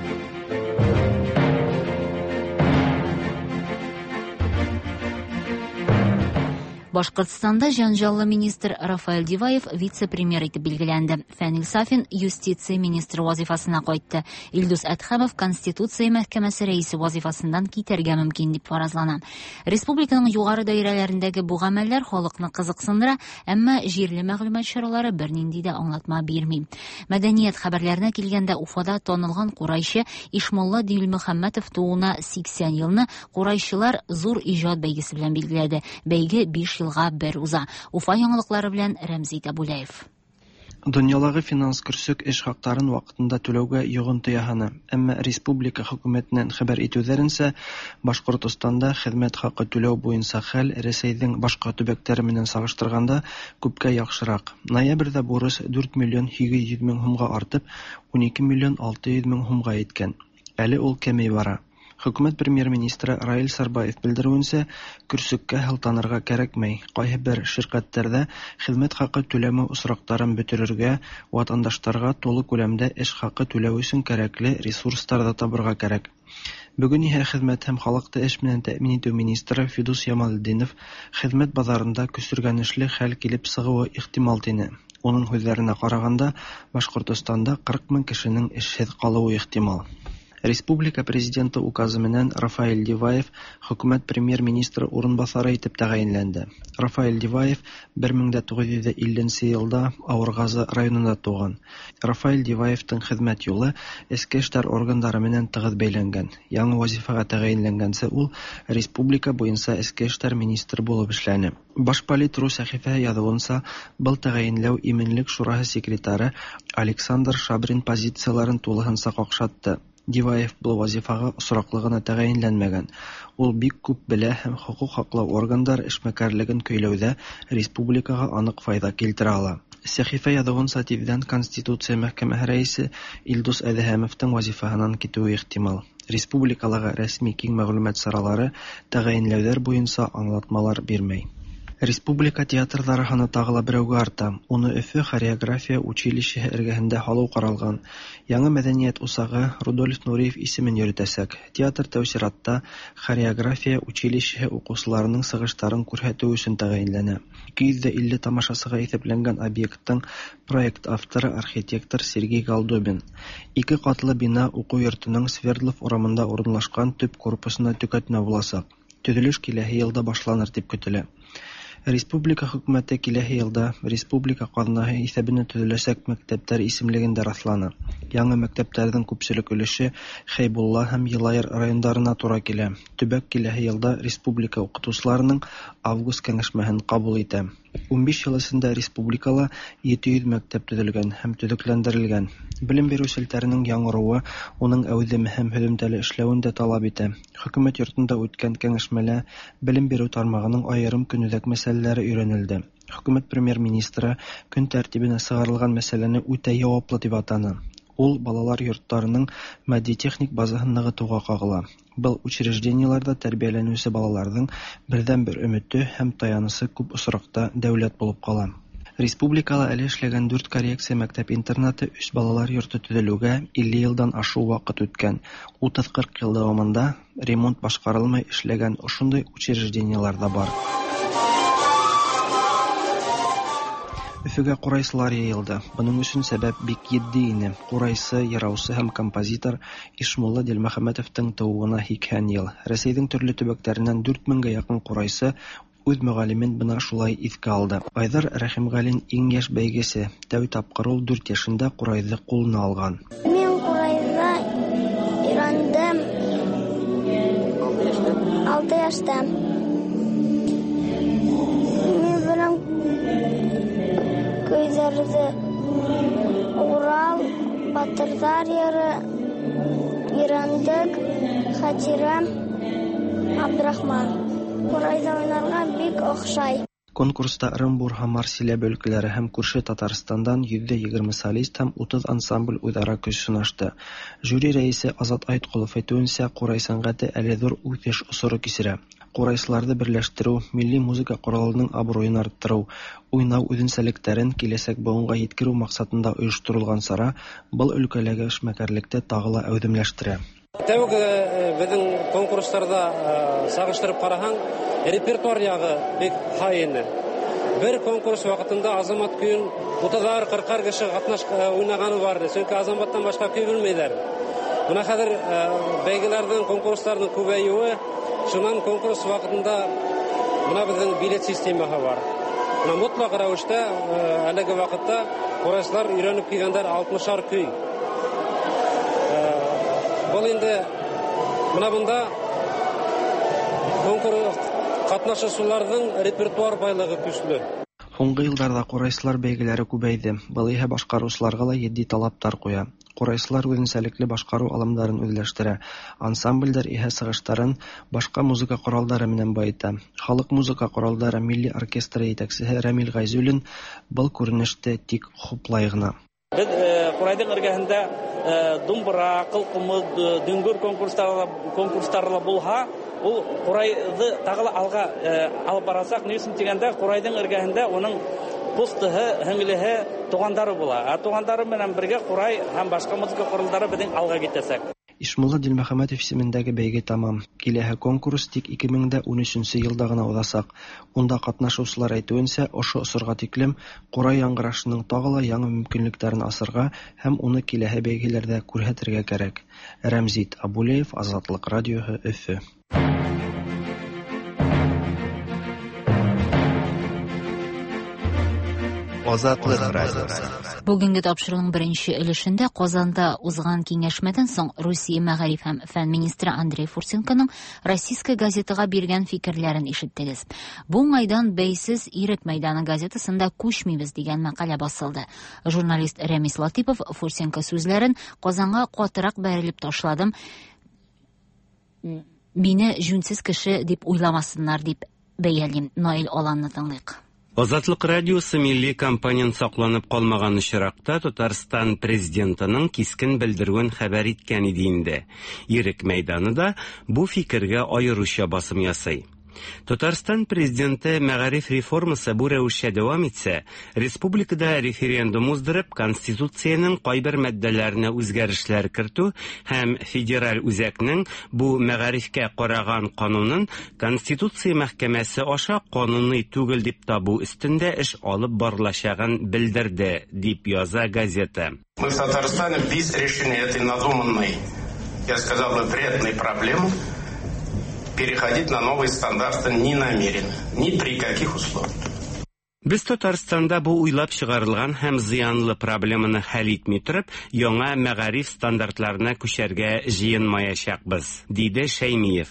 Башкортстанда җанҗаллы министр Рафаэль Диваев вице-премьер итеп билгеләнде. Фәнил Сафин юстиция министры вазифасына кайтты. Илдус Әдһәмов Конституция мәхкәмәсе рәисе вазифасыннан китәргә мөмкин дип фаразлана. Республиканың югары даирәләрендәге бу гамәлләр халыкны кызыксындыра, әмма җирле мәгълүмат чаралары бернинди дә аңлатма бирми. Мәдәният хәбәрләренә килгәндә, Уфада танылган курайчы Ишмулла Дилмөхәммәтов тууына 80 елны курайчылар зур иҗат бәйгесе белән билгеләде. Бәйге 5 елга бер уза. Уфа яңалыклары белән Рәмзи Табулаев. Дөньялагы финанс көрсөк эш хакларын вакытында түләүгә йогынты яһаны. Әмма республика хөкүмәтеннән хәбәр итүләренчә, Башкортостанда хезмәт хакы түләү буенча хәл Рәсәйнең башка төбәкләре менән чагыштырганда күпкә яхшырак. Ноябрьдә бурыч 4 миллион 800 мең һумга артып, 12 миллион 600 мең һумга иткән. Әле ул кәми бара. Хөкүмәт премьер-министры Раил Сарбаев белдерүенчә, көрсеккә һылтанырга кәрәкмәй. Кайһы бер ширкәтләрдә хезмәт хакы түләмәү очракларын бетерергә, ватандашларга тулы күләмдә эш хакы түләү өчен кәрәкле ресурслар да табырга кәрәк. Бүген иһә хезмәт һәм халыкты эш белән тәэмин итү министры Фидус Ямалетдинов хезмәт базарында көсөргәнешле хәл килеп чыгуы ихтимал тине. Уның һүҙҙәренә ҡарағанда, Башҡортостанда 40 мең кешенең эшһеҙ ҡалыуы ихтимал. Республика президенты указы менән Рафаэль Диваев хөкүмәт премьер-министры урынбаҫары итеп тәғәйенләнде. Рафаэль Диваев 1950 елда Ауырғазы районында тыуған. Рафаэль Диваевтың хеҙмәт юлы эске эштәр органдары менән тығыҙ бәйләнгән. Яңы вазифаға тәғәйенләнгәнсе ул республика буйынса эске эштәр министры булып эшләне. Башполит.ру сәхифәһе яҙыуынса, был тәғәйенләү Именлек шураһы секретары Александр Шабрин позицияларын тулыһынса ҡаҡшатты. Диваев был вазифаға осраҡлы ғына тәғәйенләнмәгән. Ул бик күп белә һәм хоҡуҡ һаҡлау органдары эшмәкәрлеген көйләүҙә республикаға аныҡ файҙа килтерә ала. Сәхифә яҙыуынса, тиҙҙән Конституция мәхкәмәһе рәйесе Илдус Әҙһәмовтың вазифаһынан китеүе ихтимал. Республикалағы рәсми киң мәғлүмәт саралары тәғәйенләүҙәр буйынса аңлатмалар бирмәй. Республика театрҙары һаны тағы ла берәүгә арта. Уны Өфө хореография училищеһы эргәһендә һалыу ҡаралған. Яңы мәҙәниәт усағы Рудольф Нуриев исемен йөрөтәсәк. Театр тәү сиратта хореография училищеһы уҡыусыларының сығыштарын күрһәтеү өсөн тәғәйенләнә. 250 тамашасыға иҫәпләнгән объекттың проект авторы архитектор Сергей Голдобин. Ике ҡатлы бина уҡыу йортоноң Свердлов урамында урынлашҡан төп корпусына төкәтмә буласаҡ. Төҙөлөш киләһе йылда башланыр тип көтөлә. Республика хөкүмәте киләһе йылда республика ҡаҙнаһы иҫәбенә төҙөләсәк мәктәптәр исемлеген дә раҫланы. Яңы мәктәптәрҙең күпселек өлөшө Хәйбулла һәм Йылайыр райондарына тура килә. Төбәк киләһе йылда республика уҡытыусыларының август кәңәшмәһен ҡабул итә. 15 йыл эсендә республикала 700 мәктәп төҙөлгән һәм төҙөкләндерелгән. Белем биреү селтәренең яңырыуы уның әүҙем һәм һөҙөмтәле эшләүен дә талап итә. Хөкүмәт йортонда үткән кәңәшмәлә белем биреү тармағының айырым көнүҙәк мәсьәләләре өйрәнелде. Хөкүмәт премьер-министры көн тәртибенә сығарылған мәсьәләне үтә яуаплы тип атаны. Ул балалар йорттарының матди-техник базаһын нығытыуға ҡағыла. Был учреждениеларҙа тәрбиәләнеүсе балаларҙың берҙән-бер өмөтө һәм таянысы күп осраҡта дәүләт булып ҡала. Республикала әле эшләгән 4 коррекция мәктәп-интернаты, 3 балалар йорто төҙөлөүгә 50 йылдан ашыу ваҡыт үткән. 30-40 йыл дауамында ремонт башҡарылмай эшләгән ошондай учреждениелар ҙа бар. Өфөгә ҡурайсылар йыйылды. Бының өсөн сәбәп бик етди ине. Ҡурайсы, йыраусы һәм композитор Ишмулла Дилмөхәмәтовтың тыуыуына 80 йыл. Рәсәйҙең төрлө төбәктәренән 4000-гә яҡын ҡурайсы үҙ мөғәллимен бына шулай иҫкә алды. Айҙар Рәхимғәлин иң йәш бәйгесе. Тәү тапҡыр ул 4 йәшендә ҡурайҙы ҡулына алған. Мин ҡурайҙа өйрәндем 6 йәштә. Мин беләм көйҙәрҙе Урал батырҙар йыры, Өйрәндек, Хәтирәм, Абдрахман. Ҡурайҙа уйнарға бик оҡшай. Конкурста Ырымбур, Һамар, Силәбе өлкәләре һәм күрше Татарстандан 120 солист һәм 30 ансамбль үҙ-ара көс сынашты. Жюри рәисе Азат Айтколов әйтеүенсә, ҡурай сәнғәте әле ҙур үҫеш осоро кисерә. Ҡурайсыларҙы берләштереү, милли музыка ҡоралының абруйын арттырыу, уйнау үҙенсәлектәрен киләсәк быуынға еткереү маҡсатында ойошторолған сара был өлкәләге эшмәкәрлекте тағы ла әүҙемләштерә. Тәүге беҙҙең конкурстарҙа сағыштырып ҡараһаң, репертуар яғы бик һай ине. Бер конкурс ваҡытында Азамат көйөн утыҙар, ҡырҡар кеше ҡатнаш уйнағаны бар ине. Сөнки Азаматтан башҡа көй белмәйҙәр. Бына хәҙер бәйгеләрҙең, конкурстарҙың күбәйеүе, шунан конкурс ваҡытында бына беҙҙең билет системаһы бар. Бына мотлаҡ рәүештә әлеге ваҡытта ҡурайсылар өйрәнеп килгәндәр алтмышар көй. Был инде бына бында конкурс ҡатнашыусыларҙың репертуар байлығы көслө. Һуңғы йылдарҙа ҡурайсылар бәйгеләре күбәйҙе. Был иһә башҡарыусыларға ла етди талаптар ҡуя. Ҡурайсылар үҙенсәлекле башҡарыу алымдарын үҙләштерә. Ансамблдәр иһә сығыштарын башҡа музыка ҡоралдары менән байыта. Халыҡ музыка ҡоралдары милли оркестры етәксеһе Рәмил Ғәйзуллин был күренеште тик хуплай ғына. Беҙ ҡурайҙың эргәһендә думбыра, ҡылҡумыҙ, дөңгөр конкурстары ла булһа, ул ҡурайҙы тағы ла алға алып барасаҡ. Ни өсөн тигәндә, ҡурайҙың эргәһендә уның ҡустыһы, һеңлеһе, туғандары була. Ә туғандары менән бергә ҡурай һәм башҡа музыка ҡоралдары беҙҙең алға китәсәк. Ишмулла Дилмөхәмәтов исемендәге бәйге тамам. Киләһе конкурс тик 2013 йылда ғына уҙасаҡ. Унда ҡатнашыусылар әйтеүенсә, ошо осорға тиклем ҡурай яңғырашының тағы ла яңы мөмкинлектәрен асырға һәм уны киләһе бәйгеләрҙә күрһәтергә кәрәк. Рәмзит Абулеев, Азатлыҡ радиоһы, Өфө. Азатлык радиосы. Бүгенге тапшыруның беренче өлешендә Казанда узган киңәшмәдән соң Русия мәгариф һәм фән министры Андрей Фурсенконың Российская газетага биргән фикерләрен ишеттегез. Бу уңайдан Бәйсез Ирек мәйданы газетасында Күчмибез дигән мәкалә басылды. Журналист Рәмис Латипов Фурсенко сүзләрен Казанга катырак бәрелеп ташладым. Мине җүнсез кеше дип уйламасыннар дип бәялим. Наил Аланны тыңлыйк. Азатлык радиосы милли компонент сакланып калмаган очракта Татарстан президентының кискен белдерүен хәбәр иткән иде инде. Ирек мәйданы да бу фикергә аеруча басым ясый. Татарстан президенты мәгариф реформасы бу рәвешчә дәвам итсә, республикада референдум уздырып, конституциянең кайбер маддәләренә үзгәрешләр кертү һәм федераль үзәкнең бу мәгарифкә караган канунын Конституция мәхкәмәсе аша кануни түгел дип табу өстендә эш алып барылачагын белдерде, дип яза газета. Мы в Татарстане без решения этой надуманной, я сказал бы, вредной проблемы переходить на новые стандарты не намерены, ни при каких условиях. Без Татарстанда бу уйлап чыгарылган һәм зыянлы проблеманы хәл итми торып, яңа мәгариф стандартларына күчәргә җыенмаячакбыз, диде Шәймиев.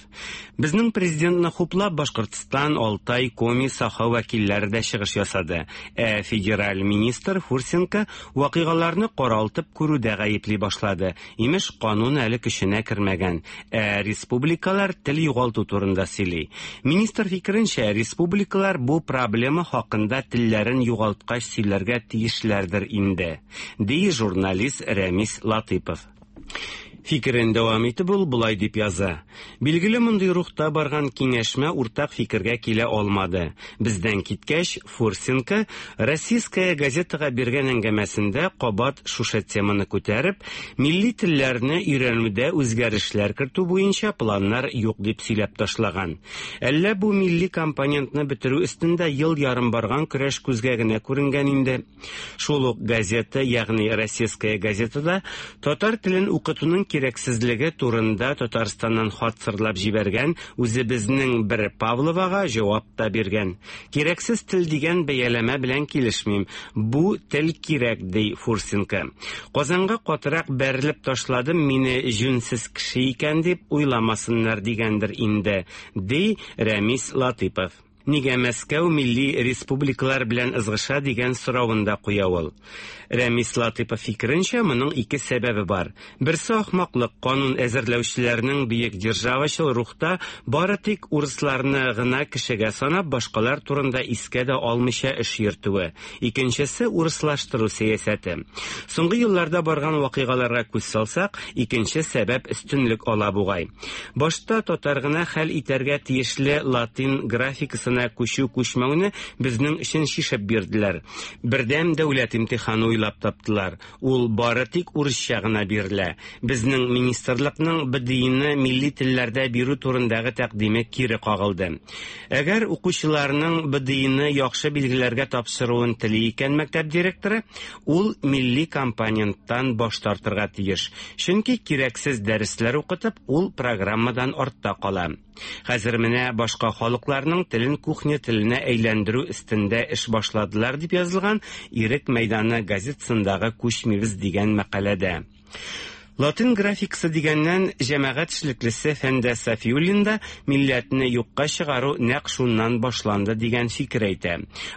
Безнең президентны хуплап Башкортстан, Алтай, Коми, Саха вәкилләре дә чыгыш ясады. Ә федераль министр Фурсенко вакыйгаларны каралтып күрүдә гаепли башлады. Имеш, канун әле көченә кермәгән. Ә республикалар тел югалту турында сөйли. Министр фикеренчә, республикалар бу проблема хакында телләрен югалткач сөйләргә тиешләрдер инде, ди журналист Рәмис Латыпов. Фикерен дәвам итеп ул болай дип яза. Билгеле мондый рухта барган киңәшмә уртак фикергә килә алмады. Бездән киткәч, Фурсенко Российская газетага биргән әңгәмәсендә кабат шушы теманы күтәреп, милли телләрне өйрәнүдә үзгәрешләр кертү буенча планнар юк дип сөйләп ташлаган. Әллә бу милли компонентны бетерү өстендә ел ярым барган көрәш күзгә генә күренгән инде. Шул ук газета, ягъни Российская газетада татар телен укытуның кирәксезлеге турында Татарстаннан хат сырлап җибәргән үзебезнең бер Павловага җавап та биргән. Кирәксез тел дигән бәяләмә белән килешмим. Бу тел кирәк, ди Фурсенко. Казанга катырак бәрелеп ташладым, мине җүнсез кеше икән дип уйламасыннар дигәндер инде, ди Рәмис Латыпов. Нигә Мәскәү милли республикалар белән ызгыша дигән соравын да куя ул. Рәмис Латыйпов фикеренчә, моның ике сәбәбе бар. Берсе ахмаклык, канун әзерләүчеләрнең бөек державачыл рухта бары тик урысларны гына кешегә санап, башкалар турында искә дә алмыйча эш йөртүе. Икенчесе урыслаштыру сәясәте. Соңгы елларда барган вакыйгаларга күз салсак, икенче сәбәп өстенлек ала бугай. Башта татар гына хәл итәргә тиешле латин графикасына күчү-күчмәүне безнең өчен чишеп бирделәр. Бердәм дәүләт имтиханы уйлап таптылар. Ул бары тик урысча гына бирелә. Безнең министрлыкның БДИны милли телләрдә бирү турындагы тәкъдиме кире кагылды. Әгәр укучыларның БДИны яхшы билгеләргә тапшыруын тели икән мәктәп директоры, ул милли компоненттан баш тартырга тиеш. Чөнки кирәксез дәресләр укытып, ул программадан артта кала. Хәзер менә башка халыкларның телен кухня теленә әйләндерү өстендә эш башладылар, дип язылган Ирек мәйданы газетасындагы Күчмибез дигән мәкаләдә. Латин графикасы дигәннән, җәмәгать эшлеклесе Фәндәс Сафиуллин да милләтне юкка чыгару нәкъ шуннан башланды дигән фикер әйтә.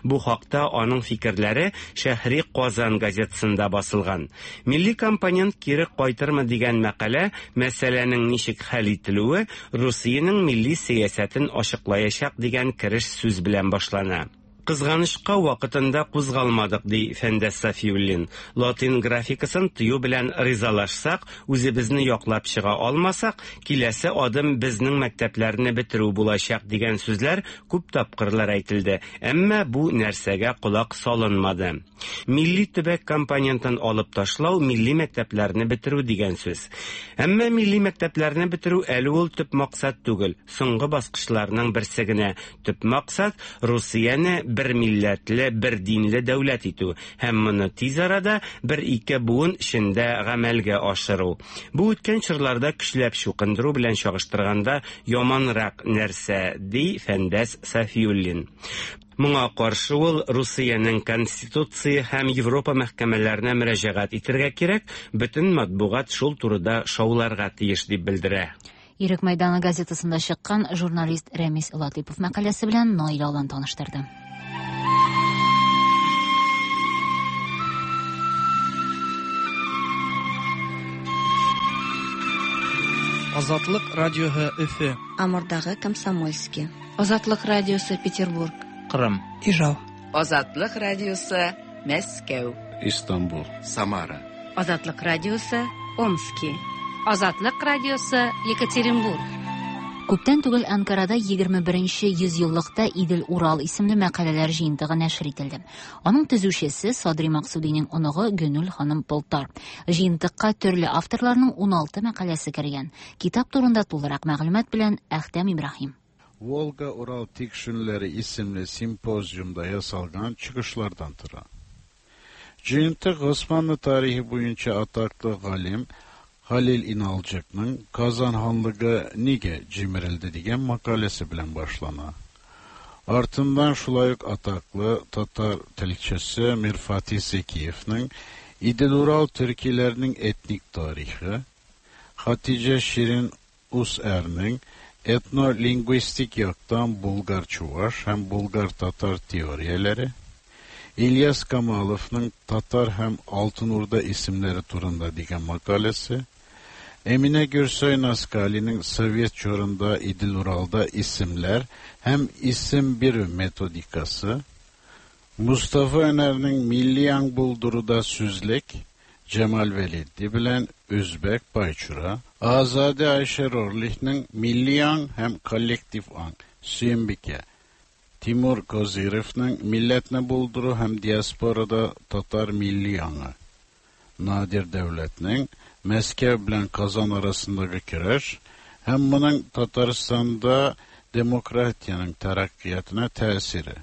Бу хакта аның фикерләре Шәһри Казан газетасында басылган. Милли компонент кире кайтырмы дигән мәкалә мәсьәләнең ничек хәл ителүе Русиянең милли сәясәтен ачыклаячак дигән кереш сүз белән башлана. Кызганычка, вакытында кузгалмадык, ди Фәндәс Сафиуллин. Латин графикасын тыю белән ризалашсак, үзебезне яклап чыга алмасак, киләсе адым безнең мәктәпләрне бетерү булачак, дигән сүзләр күп тапкырлар әйтелде, әмма бу нәрсәгә колак салынмады. Милли төбәк компонентын алып ташлау милли мәктәпләрне бетерү дигән сүз. Әмма милли мәктәпләрне бетерү әле ул төп максат түгел, соңгы баскычларның берсе генә. Төп максат, Русияне бер милләтле, бер динле дәүләт итү һәм моны тиз арада, бер-ике буын эчендә гамәлгә ашыру. Бу үткән чорларда көчләп чукындыру белән чагыштырганда яманрак нәрсә, ди Фәндәс Сафиуллин. Моңа каршы ул Русиянең Конституция һәм Европа мәхкәмәләренә мөрәҗәгать итергә кирәк, бөтен матбугат шул турыда шауларга тиеш дип белдерә. Ирек мәйданы газетасында чыккан журналист Рәмис Латыйпов мәкаләсе белән Наилә Алан таныштырды. Азатлык радиоһы Өфе. Амурдагы Комсомольский. Азатлык радиосы Петербург. Кырым. Ижау. Азатлык радиосы Мәскәү. Истанбул. Самара. Азатлык радиосы Омски. Азатлык радиосы Екатеринбург. Күптән түгел Анкарада 21 йөзьеллыкта Идел-Урал исемле мәкаләләр җыентыгы нәшер ителде. Аның төзүчесе Садри Максудиның оныгы Гөнүл ханым Полтар. Җыентыкка төрле авторларның 16 мәкаләсе кергән. Китап турында тулырак мәгълүмат белән Әхтәм Ибраһим. Волга-Урал Tikşinleri isimli simpozyumda yasalgan çıkışlardan tura. Cıyıntık Osmanlı tarihi boyunca ataklı galim Halil İnalcık'nın Kazan Hanlığı nige cimirildi diyen makalesi bilen başlana. Артындан шулай ук атаклы татар телчесе Мирфатих Зекиевның Идел-Урал төркиләренең этник тарихы, Хатиҗә Ширин Усәрнең этнолингвистик яктан булгар-чуваш һәм булгар-татар теорияләре, Ильяс Камаловның Татар һәм Алтын Урда исемнәре турында дигән мәкаләсе, Эминә Гөрсөй Наскалиның Совет чорында Идел-Уралда исемләр һәм исем бирү методикасы, Mustafa Öner'nin Milli Аң булдыруда сүзлек, Cemal Veliddi белән Үзбәк Байчура, Azade Ayşe Rorlih'nin Milli Аң һәм Коллектив Аң, Сөембикә, Тимур Козыревның Милләтне булдыру һәм диаспорада татар милли аңы, Надир Дәүләтнең Мәскәү белән Казан арасындагы көрәш һәм моның Татарстанда демократиянең тәрәккыятына тәэсире.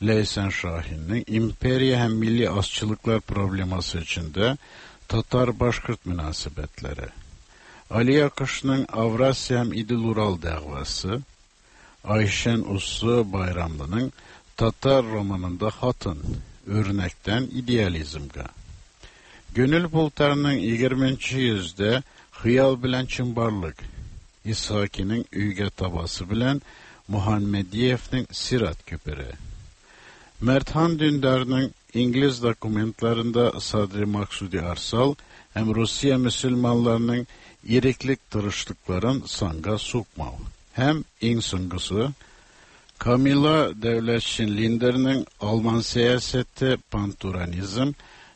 Ләйсән Шаһиннең империя һәм милли азчылыклар проблемасы эчендә татар-башкорт мөнәсәбәтләре. Али Акышның Аврасия һәм Идел-Урал дәгъвасы, Айшән Уссы Байрамлының Татар романында хатын, үрнәктән идеализмга. Гөнүл Полтарның 20 йөздә хыял белән чынбарлык, Исхакиның өйгә табасы белән Muhammediyevning Sirat köpürü. Merthan Dündar'ın İngiliz dokumentlarında Sadri Maksudi Arsal hem Rusiya Müslümanlarının iriklik tırışlıkların sanga sokmav. Hem en songusu Kamila Devletşin Linder'nin Alman siyaseti panturanizm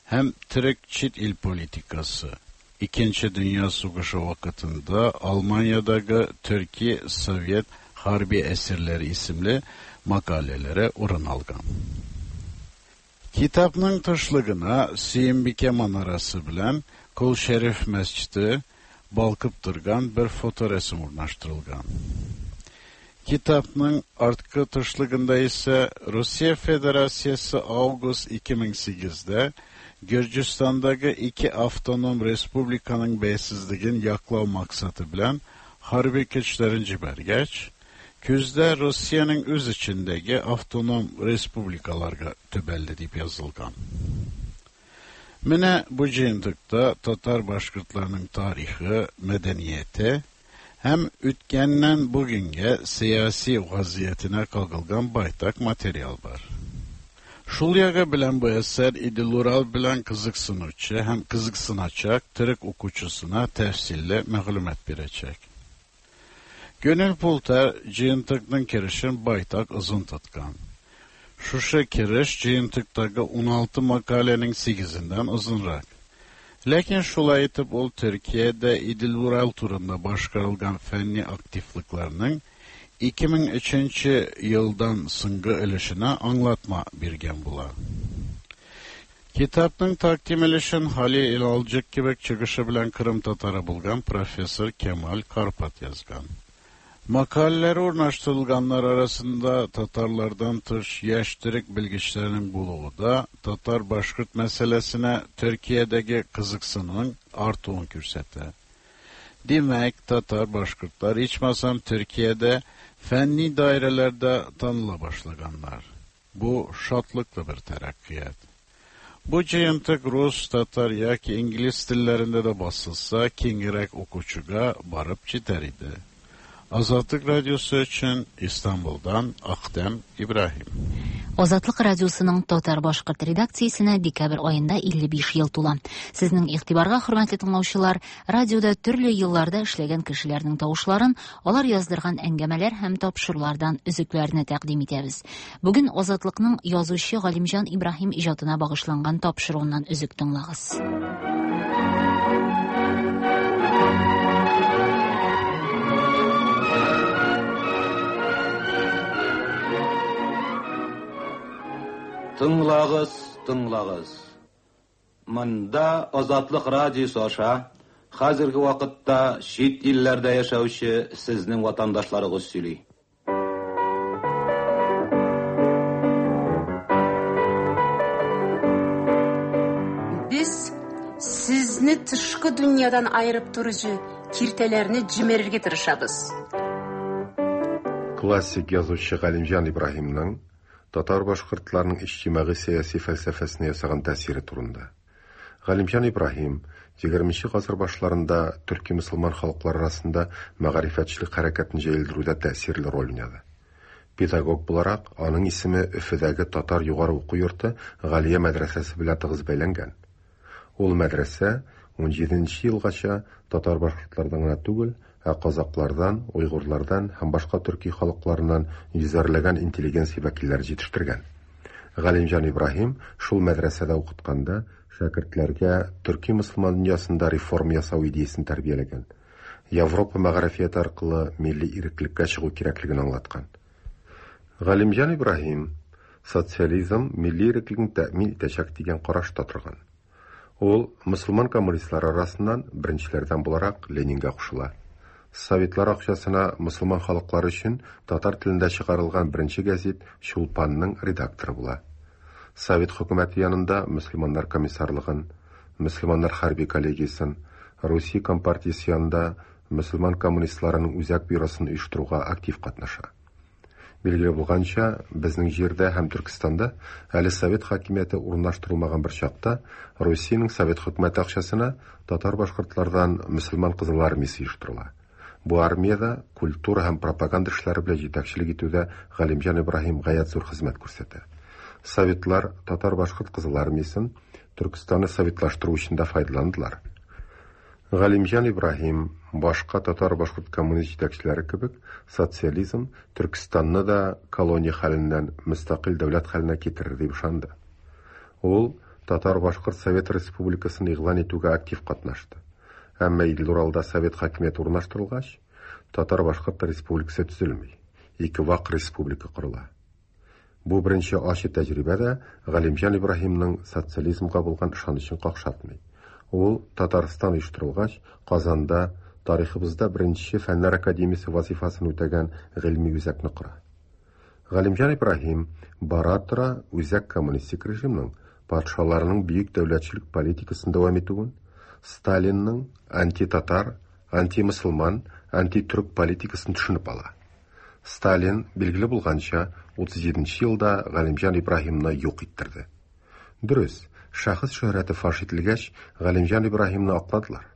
hem Türk çit il politikası. İkinci Dünya Savaşı vakitinde Almanya'daki Türkiye Sovyet Harbi Esirleri isimli makalelere orun algan. Kitapның тышлыгына Сөембикә манарасы белән Кол Шәриф мәсҗиде балкып торган бер фоторәсем урнаштырылган. Kitapның арткы тышлыгында исә Россия Федерациясе август 2008-дә Gürcistan'daki iki avtonom respublikanın beysiz yaklav maksatı bilen harbi güçlerin cibergeç, küzde Rusya'nın öz içindeki avtonom respublikalarga tübelli deyip yazılgan. Mine bu cıyıntıkta Tatar Başkırtlarının tarihi, medeniyeti, hem ütkenden bugünge siyasi vaziyetine kalkılgan baytak materyal var. Шул ягы белән бу әсәр Идел-Урал белән кызыксынучы һәм кызыксыначак төрек укучысына тәфсилле мәгълүмат бирәчәк. Gönül Pulter җыентыкның kirişin байтак озын тоткан. Шушы киреш җыентыктагы 16 макаләнең 8-ендән озынрак. Ләкин шулай итеп ул Төркиядә Идел-Урал турында башкарылган фәнни активлыкларның 2003 елдан соңгы өлешенә аңлатма биргән була. Китапның тәкъдим өлешен Халил Илалҗык кебек чыгышы белән Кырым татары булган профессор Кемал Карпат язган. Makaleleri урнаштырылганнар arasında Tatarlardan tış yaş Türk bilgiçlerinin buluğu da Tatar Başkurt meselesine Türkiye'deki kızıksının artığını kürsete. Demek Tatar Başkurtlar içmasam Türkiye'de fenni dairelerde tanıla başlaganlar. Bu şatlıklı bir terakkiyat. Bu cıyıntık Rus, Tatar yaki İngiliz dillerinde de basılsa kengirek okuçuga barıp jiter idi. Azatlık Radyosu için İstanbul'dan Akdem İbrahim. Азатлык радиосының татар башкорт редакциясенә декабрь аенда 55 ел тула. Сезнең игътибарга, хөрмәтле тыңлаучылар, радиода төрле елларда эшләгән кешеләрнең тавышларын, алар яздырган әңгәмәләр һәм тапшырулардан өзекләрне тәкъдим итәбез. Бүген Азатлыкның язучы Галимҗан Ибраһим иҗатына багышланган тапшыруыннан өзек тыңлагыз. Тыңлагыз, тыңлагыз. Монда Азатлык радиосы аша хәзерге вакытта чит илләрдә яшәүче сезнең ватандашларыгыз сөйли. Без сезне тышкы дөньядан аерып торучы киртәләрне җимерергә тырышабыз. Классик язучы Галимҗан Ибраһимның татар башкортларының иҗтимагый сәяси фәлсәфәсенә ясаган тәэсире турында. Галимҗан Ибраһим 20 гасыр башларында төрки мөселман халыклары арасында мәгарифәтчелек хәрәкәтен җәелдерүдә тәэсирле роль уйнады. Педагог буларак, аның исеме Өфедәге татар югары уку йорты Галия мәдрәсәсе белән тыгыз бәйләнгән. Ул мәдрәсә 17 елгача татар башкортлардан гына түгел, ә казаклардан, уйгурлардан һәм башка төрки халыкларыннан йөзәрләгән интеллигенция вәкилләре җитештергән. Галимҗан Ибраһим шул мәдрәсәдә укытканда шәкертләргә төрки мөселман дөньясында реформа ясау идеясен тәрбияләгән. Европа мәгарифияте аркылы милли иреклеккә чыгу кирәклеген аңлаткан. Галимҗан Ибраһим социализм милли иреклекне тәэмин итәчәк дигән карашта торган. Ул мөселман коммунистлары арасыннан беренчеләрдән буларак Ленинга кушыла. Советлар акчасына мөселман халыклары өчен татар телендә чыгарылган беренче гәзит Чулпанның редакторы була. Совет хөкүмәте янында мөселманнар комиссарлыгын, мөселманнар хәрби коллегиясен, Русия компартиясе янында мөселман коммунистларының үзәк бюросын оештыруга актив катнаша. Билгеле булганча, безнең җирдә һәм Төркестанда әле совет хакимияте урнаштырылмаган бер чакта Русиянең совет хөкүмәте акчасына татар башкортлардан мөселман кызыл армиясе оештырыла. Бу армиядә культура һәм пропаганда эшләре белән җитәкчелек итүдә Галимҗан Ибраһим гаять зур хезмәт күрсәтә. Советлар татар-башкорт Кызыл армиясен Төркестанны советлаштыру өчен дә файдаландылар. Галимҗан Ибраһим, башка татар-башкорт коммунист җитәкчеләре кебек, социализм Төркестанны да колония хәленнән мөстәкыйль дәүләт хәленә китерер дип ышанды. Ул Татар-Башкорт Совет Республикасын игълан итүгә актив катнашты. Әмма Идел-Уралда совет хакимияте урнаштырылгач, Татар-Башкорт Республикасы төзелми, ике вак республика корыла. Бу беренче ачы тәҗрибә дә Галимҗан Ибраһимның социализмга булган ышанычын какшатмый. Ул, Татарстан оештырылгач, Казанда тарихыбызда беренче Фәннәр академиясе вазыйфасын үтәгән гыйльми үзәкне кора. Галимҗан Ибраһим бара-тора үзәк коммунистик режимның, патшаларның бөек дәүләтчелек политикасын дәвам итүен, Сталинның антитатар, антимөселман, антитөрек политикасын төшенеп ала. Сталин, билгеле булганча, 37 нче елда Галимҗан Ибраһимны юк иттерде. Дөрес, шәхес шөһрәте фаш ителгәч, Галимҗан Ибраһимны акладылар.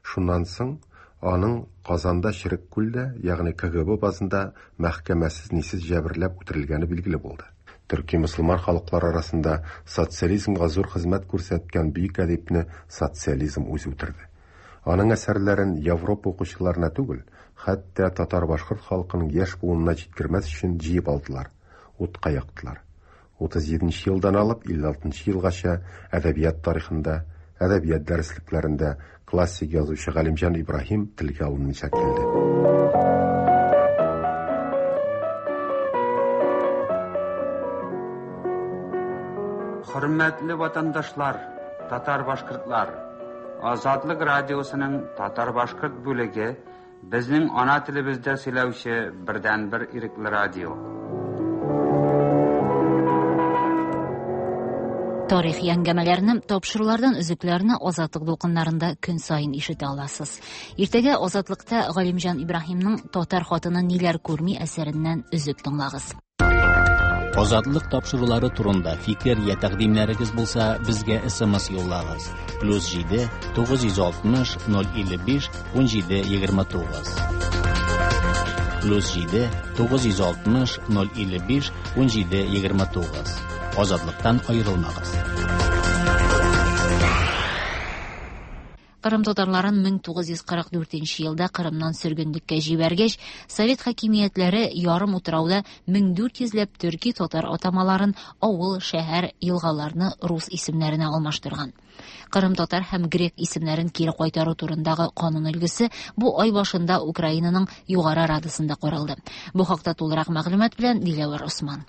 Шуннан соң аның Казанда Черек күлдә, ягъни КГБ базында мәхкәмәсез-нисез җәберләп үтерелгәне билгеле булды. Төрки мөселман халыклары арасында социализмга зур хезмәт күрсәткән бөек әдипне социализм үзе үтерде. Аның әсәрләрен Европа укучыларына түгел, хәтта татар-башкорт халкының яшь буынына җиткермәс өчен җыеп алдылар, утка яктылар. 37 нче елдан алып 56 нчы елгача әдәбият тарихында, әдәбият дәреслекләрендә классик язучы Галимҗан Ибраһим телгә алынмыйча килде. Хөрмәтле ватандашлар, татар-башкортлар! Азатлык радиосының татар-башкорт бүлеге безнең ана телебездә сөйләүче бердәнбер ирекле радио. Тарихи әңгәмәләрне, тапшырулардан өзекләрне Азатлык дулкыннарында көн саен ишетә аласыз. Иртәгә Азатлыкта Галимҗан Ибраһимның Татар хатыны ниләр күрми әсәреннән өзек тыңлагыз. Азатлык тапшырулары турында фикер я тәкъдимнәрегез булса, безгә SMS юллагыз. Плюс 7 960 055 17 29. Плюс 7 960 055 17 29. Азатлыктан аерылмагыз. Кырым татарларын 1944 елда Кырымнан сөргенлеккә җибәргәч, совет хакимиятләре ярым утрауда 1400 ләп төрки татар атамаларын авыл, шәһәр, елгаларны рус исемнәренә алмаштырган. Кырым татар һәм грек исемнәрен кире кайтару турындагы канун өлгесе бу ай башында Украинаның Югары Радасында каралды. Бу хакта тулырак мәгълүмат белән Диләвәр Осман.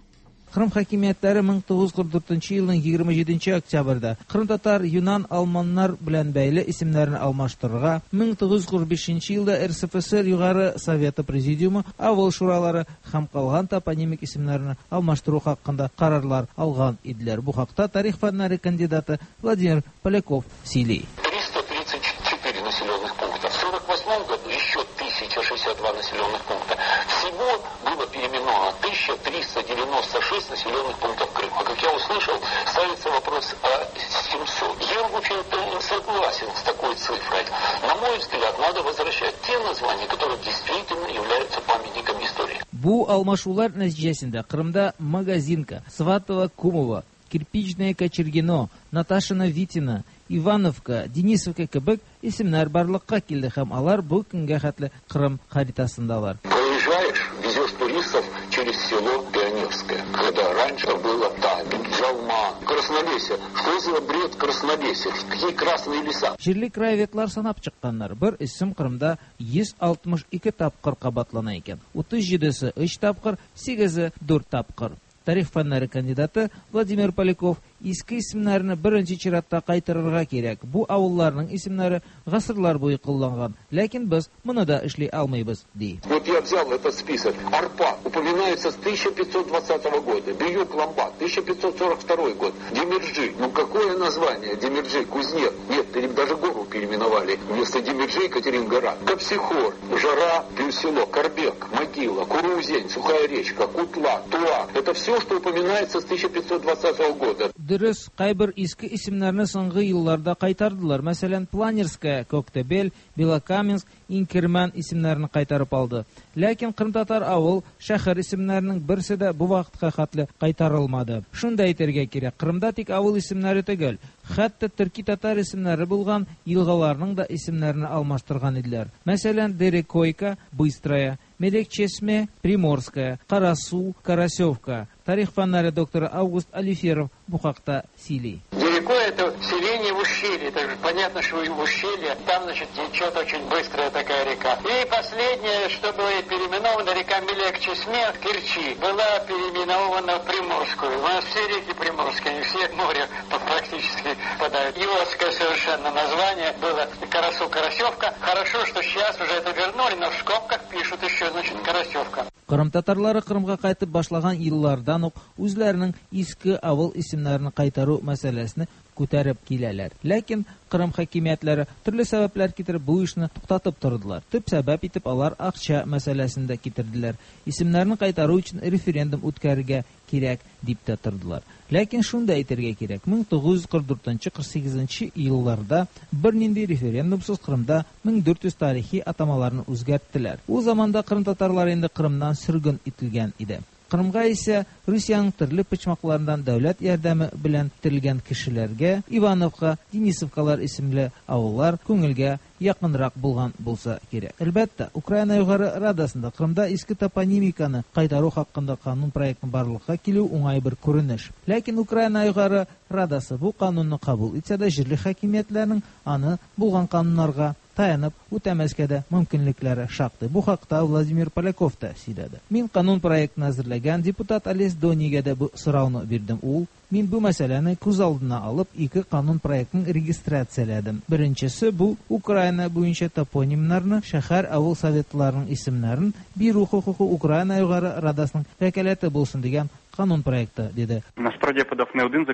Кырым хакимиятләре 1944 елның 27 октябрьдә кырымтатар, юнан, алманнар белән бәйле исемнәрне алмаштырырга, 1945 елда РСФСР Югары Советы Президиумы авыл шуралары һәм калган топонимик исемнәрне алмаштыру хакында карарлар алган иделәр. Бу хакта тарих фәннәре кандидаты Владимир Поляков сөйли. 334 населенных пункта. В 1948 году еще 1062 населенных пункта. Всего было переименовано 1396 населенных пунктов Крыма. Как я услышал, ставится вопрос о 700. Я, в общем-то, не согласен с такой цифрой. На мой взгляд, надо возвращать те названия, которые действительно являются памятниками истории. Бу алмашулар нәтиҗәсендә Кырымда Магазинка, Сватово, Кумово, Кирпичное Кочергино, Наташино Витино, Ивановка, Денисовка кебек исемнәр барлыкка килде һәм алар бу көнгә хәтле Кырым харитасындалар. Проезжаешь, везешь туристов через село Пионерское, когда раньше было Табель, Джалма, Краснолесье. Что за бред Краснолесье? Какие красные леса? Җирле краеведлар санап чыкканнар, бер исем Кырымда 162 тапкыр кабатлана икән. 37-се өч тапкыр, сигезе дүрт тапкыр. Тарих фәннәре кандидаты Владимир Поляков иске исемнәрне беренче чиратта кайтарырга кирәк. Бу авылларның исемнәре гасырлар буе кулланган, ләкин без моны да эшли алмыйбыз, ди. Вот я взял этот список. Арпа упоминается с 1520 года. Биюк-Ламба, 1542 год. Демерджи. Ну какое название? Демерджи, кузнец. Нет, даже гору переименовали. Вместо Демерджи Екатерингора. Капсихор, Жара, плюс село, Карбек, Могила, Куруузень, Сухая речка, Кутла, Туа. Это все, что упоминается с 1520 года. Дөрес, кайбер иске исемнәрне соңгы елларда кайтардылар. Мәсәлән, Планерская, Коктебель, Белокаменск, Инкерман исемнәрен кайтарып алды. Ләкин кырымтатар авыл, шәһәр исемнәренең берсе дә бу вакытка хәтле кайтарылмады. Шуны да әйтергә кирәк, Кырымда тик авыл исемнәре түгел, хәтта төрки-татар исемнәре булган елгаларның да исемнәрен алмаштырган иделәр. Мәсәлән, Дерекойка, Быстрая, Мелекчесме, Приморская, Карасу, Карасевка. Тарих фәннәре докторы Август Алиферов бу хакта сөйли. Дерекой это селение в ущелье. Это же понятно, что в ущелье. Там, значит, течет очень быстрая такая река. И последнее, что было переименовано, река Мелекчесме в Керчи, была переименована в Приморскую. У нас все реки приморские, они все в море практически попадают. Идиотское совершенно название было Карасу-Карасевка. Хорошо, что сейчас уже это вернули, но в скобках пишут еще, значит, Карасевка. Кырым татарлары Кырымга кайтып башлаган еллардан ук үзләренең иске авыл исемнәрен кайтару мәсьәләсен күтәреп киләләр. Ләкин Кырым хакимиятләре төрле сәбәпләр китереп бу эшне туктатып тордылар. Төп сәбәп итеп алар акча мәсьәләсен дә китерделәр. Исемнәрне кайтару өчен референдум үткәрергә кирәк дип тә тордылар. Ләкин шуны да әйтергә кирәк, 1944-48 елларда бернинди референдумсыз Кырымда 1400 тарихи атамаларны үзгәрттеләр. Ул заманда кырым татарлары инде Кырымнан сөрген ителгән иде. Кырымга исә Русиянең төрле почмакларыннан дәүләт ярдәме белән китерелгән кешеләргә Ивановка, Денисовкалар исемле авыллар күңелгә якынрак булган булса кирәк. Әлбәттә, Украина Югары Радасында Кырымда иске топонимиканы кайтару хакында канун проектын барлыкка килү уңай бер күренеш. Ләкин Украина Югары Радасы бу канунны кабул итсә дә, җирле хакимиятләрнең аны булган кануннарга таянып үтәмәскә дә мөмкинлекләре шактый. Бу хакта Владимир Поляков та сөйләде. Мин канун проектын әзерләгән депутат Олесь Донийгә дә бу сорауны бирдем. Ул: "Мин бу мәсьәләне күз алдына алып, ике канун проектын регистрацияләдем. Беренчесе бу Украина буенча топонимнарны, шәһәр, авыл советларының исемнәрен бирү хокукы Украина Югары Радасының вәкаләте булсын дигән канун проекты", диде. Насправді я подав не один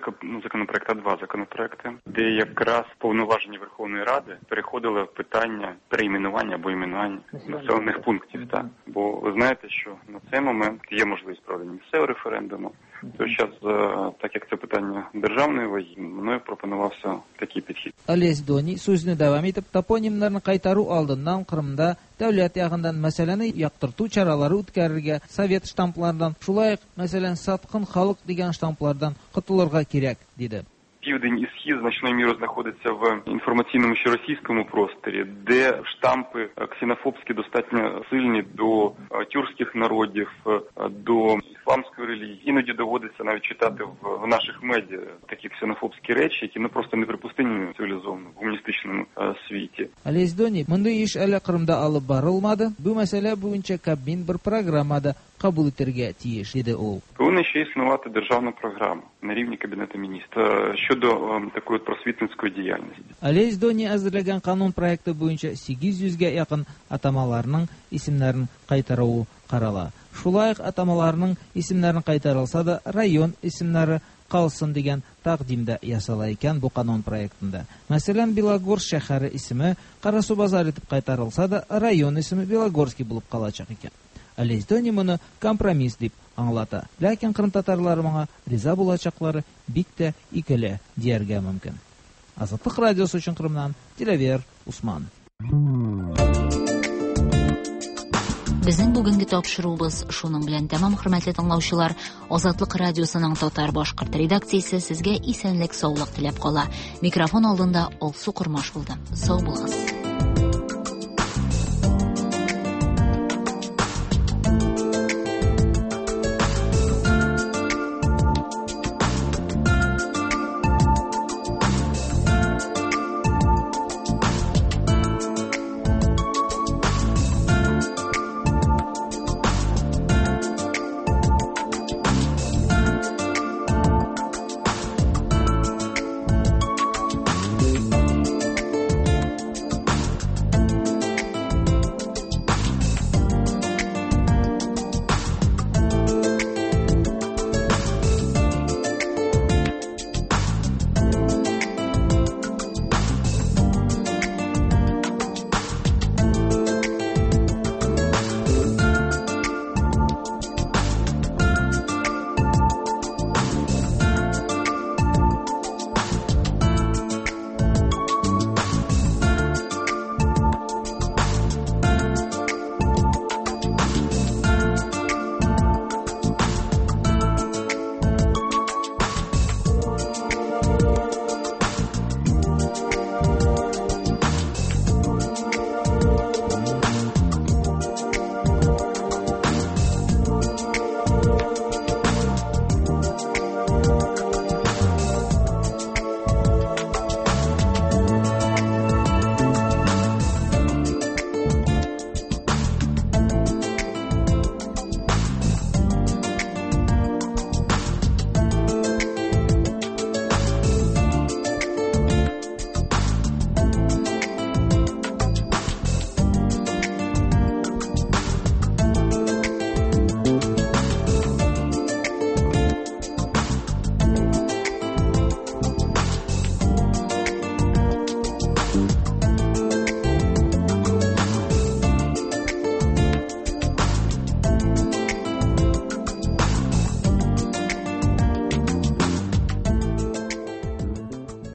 законопроект, а два законопроекти, де якраз повноваження Верховної Ради переходили в питання перейменування або іменування населених пунктів. Так. Бо ви знаєте, що на цей момент є можливість проведення місцевого референдуму. То зараз, так як це питання державної ваги, мною пропонувався такий підхід. Олесь Доний сүзне дәвам итеп, топонимнарны кайтару алдыннан Кырымда дәүләт ягыннан мәсьәләне яктырту чаралары үткәрергә, совет штамплардан, шулай ук, мәсәлән, саткын халык дигән штамплардан котылырга кирәк, диде. Південь і схід значною мірою знаходиться в інформаційному ще російському просторі, де штампи ксенофобські достатньо сильні до тюркських народів, до ісламської релігії. Іноді доводиться навіть читати в наших медіа такі ксенофобські речі, які просто неприпустимі в цивілізованому гуманістичному світі. Олесь Доний, мондый эш әле Кырымда алып барылмады. Бу мәсьәлә буенча Кабмин бер программа да кабул итәргә тиеш, диде ул. Повинна ще існувати державна програма на рівні Кабінету міністрів щодо такої просвітницької діяльності. Олесь Доний әзерләгән канун проекты буенча 800 гә якын атамаларның исемнәрен кайтаруы карала. Шулай ук атамаларның исемнәрен кайтарылса да, район исемнәре калсын дигән тәкъдим дә ясала икән бу канун проектында. Мәсәлән, Белогорск шәһәре исеме Карасубазар итеп кайтарылса да, район исеме Белогорский булып калачак икән. Олесь Доний моны компромисс дип аңлата. Ләкин кырым татарлары моңа риза булачаклары бик тә икеле дияргә мөмкин. Азатлык радиосы өчен Кырымнан Диләвер Усман. Безнең бүгенге тапшыруыбыз шуның белән тәмам, хөрмәтле тыңлаучылар. Азатлык радиосының татар башкорт редакциясе сезгә исәнлек, саулык теләп кала. Микрофон алдында Алсу Кормаш булды. Сау булыгыз.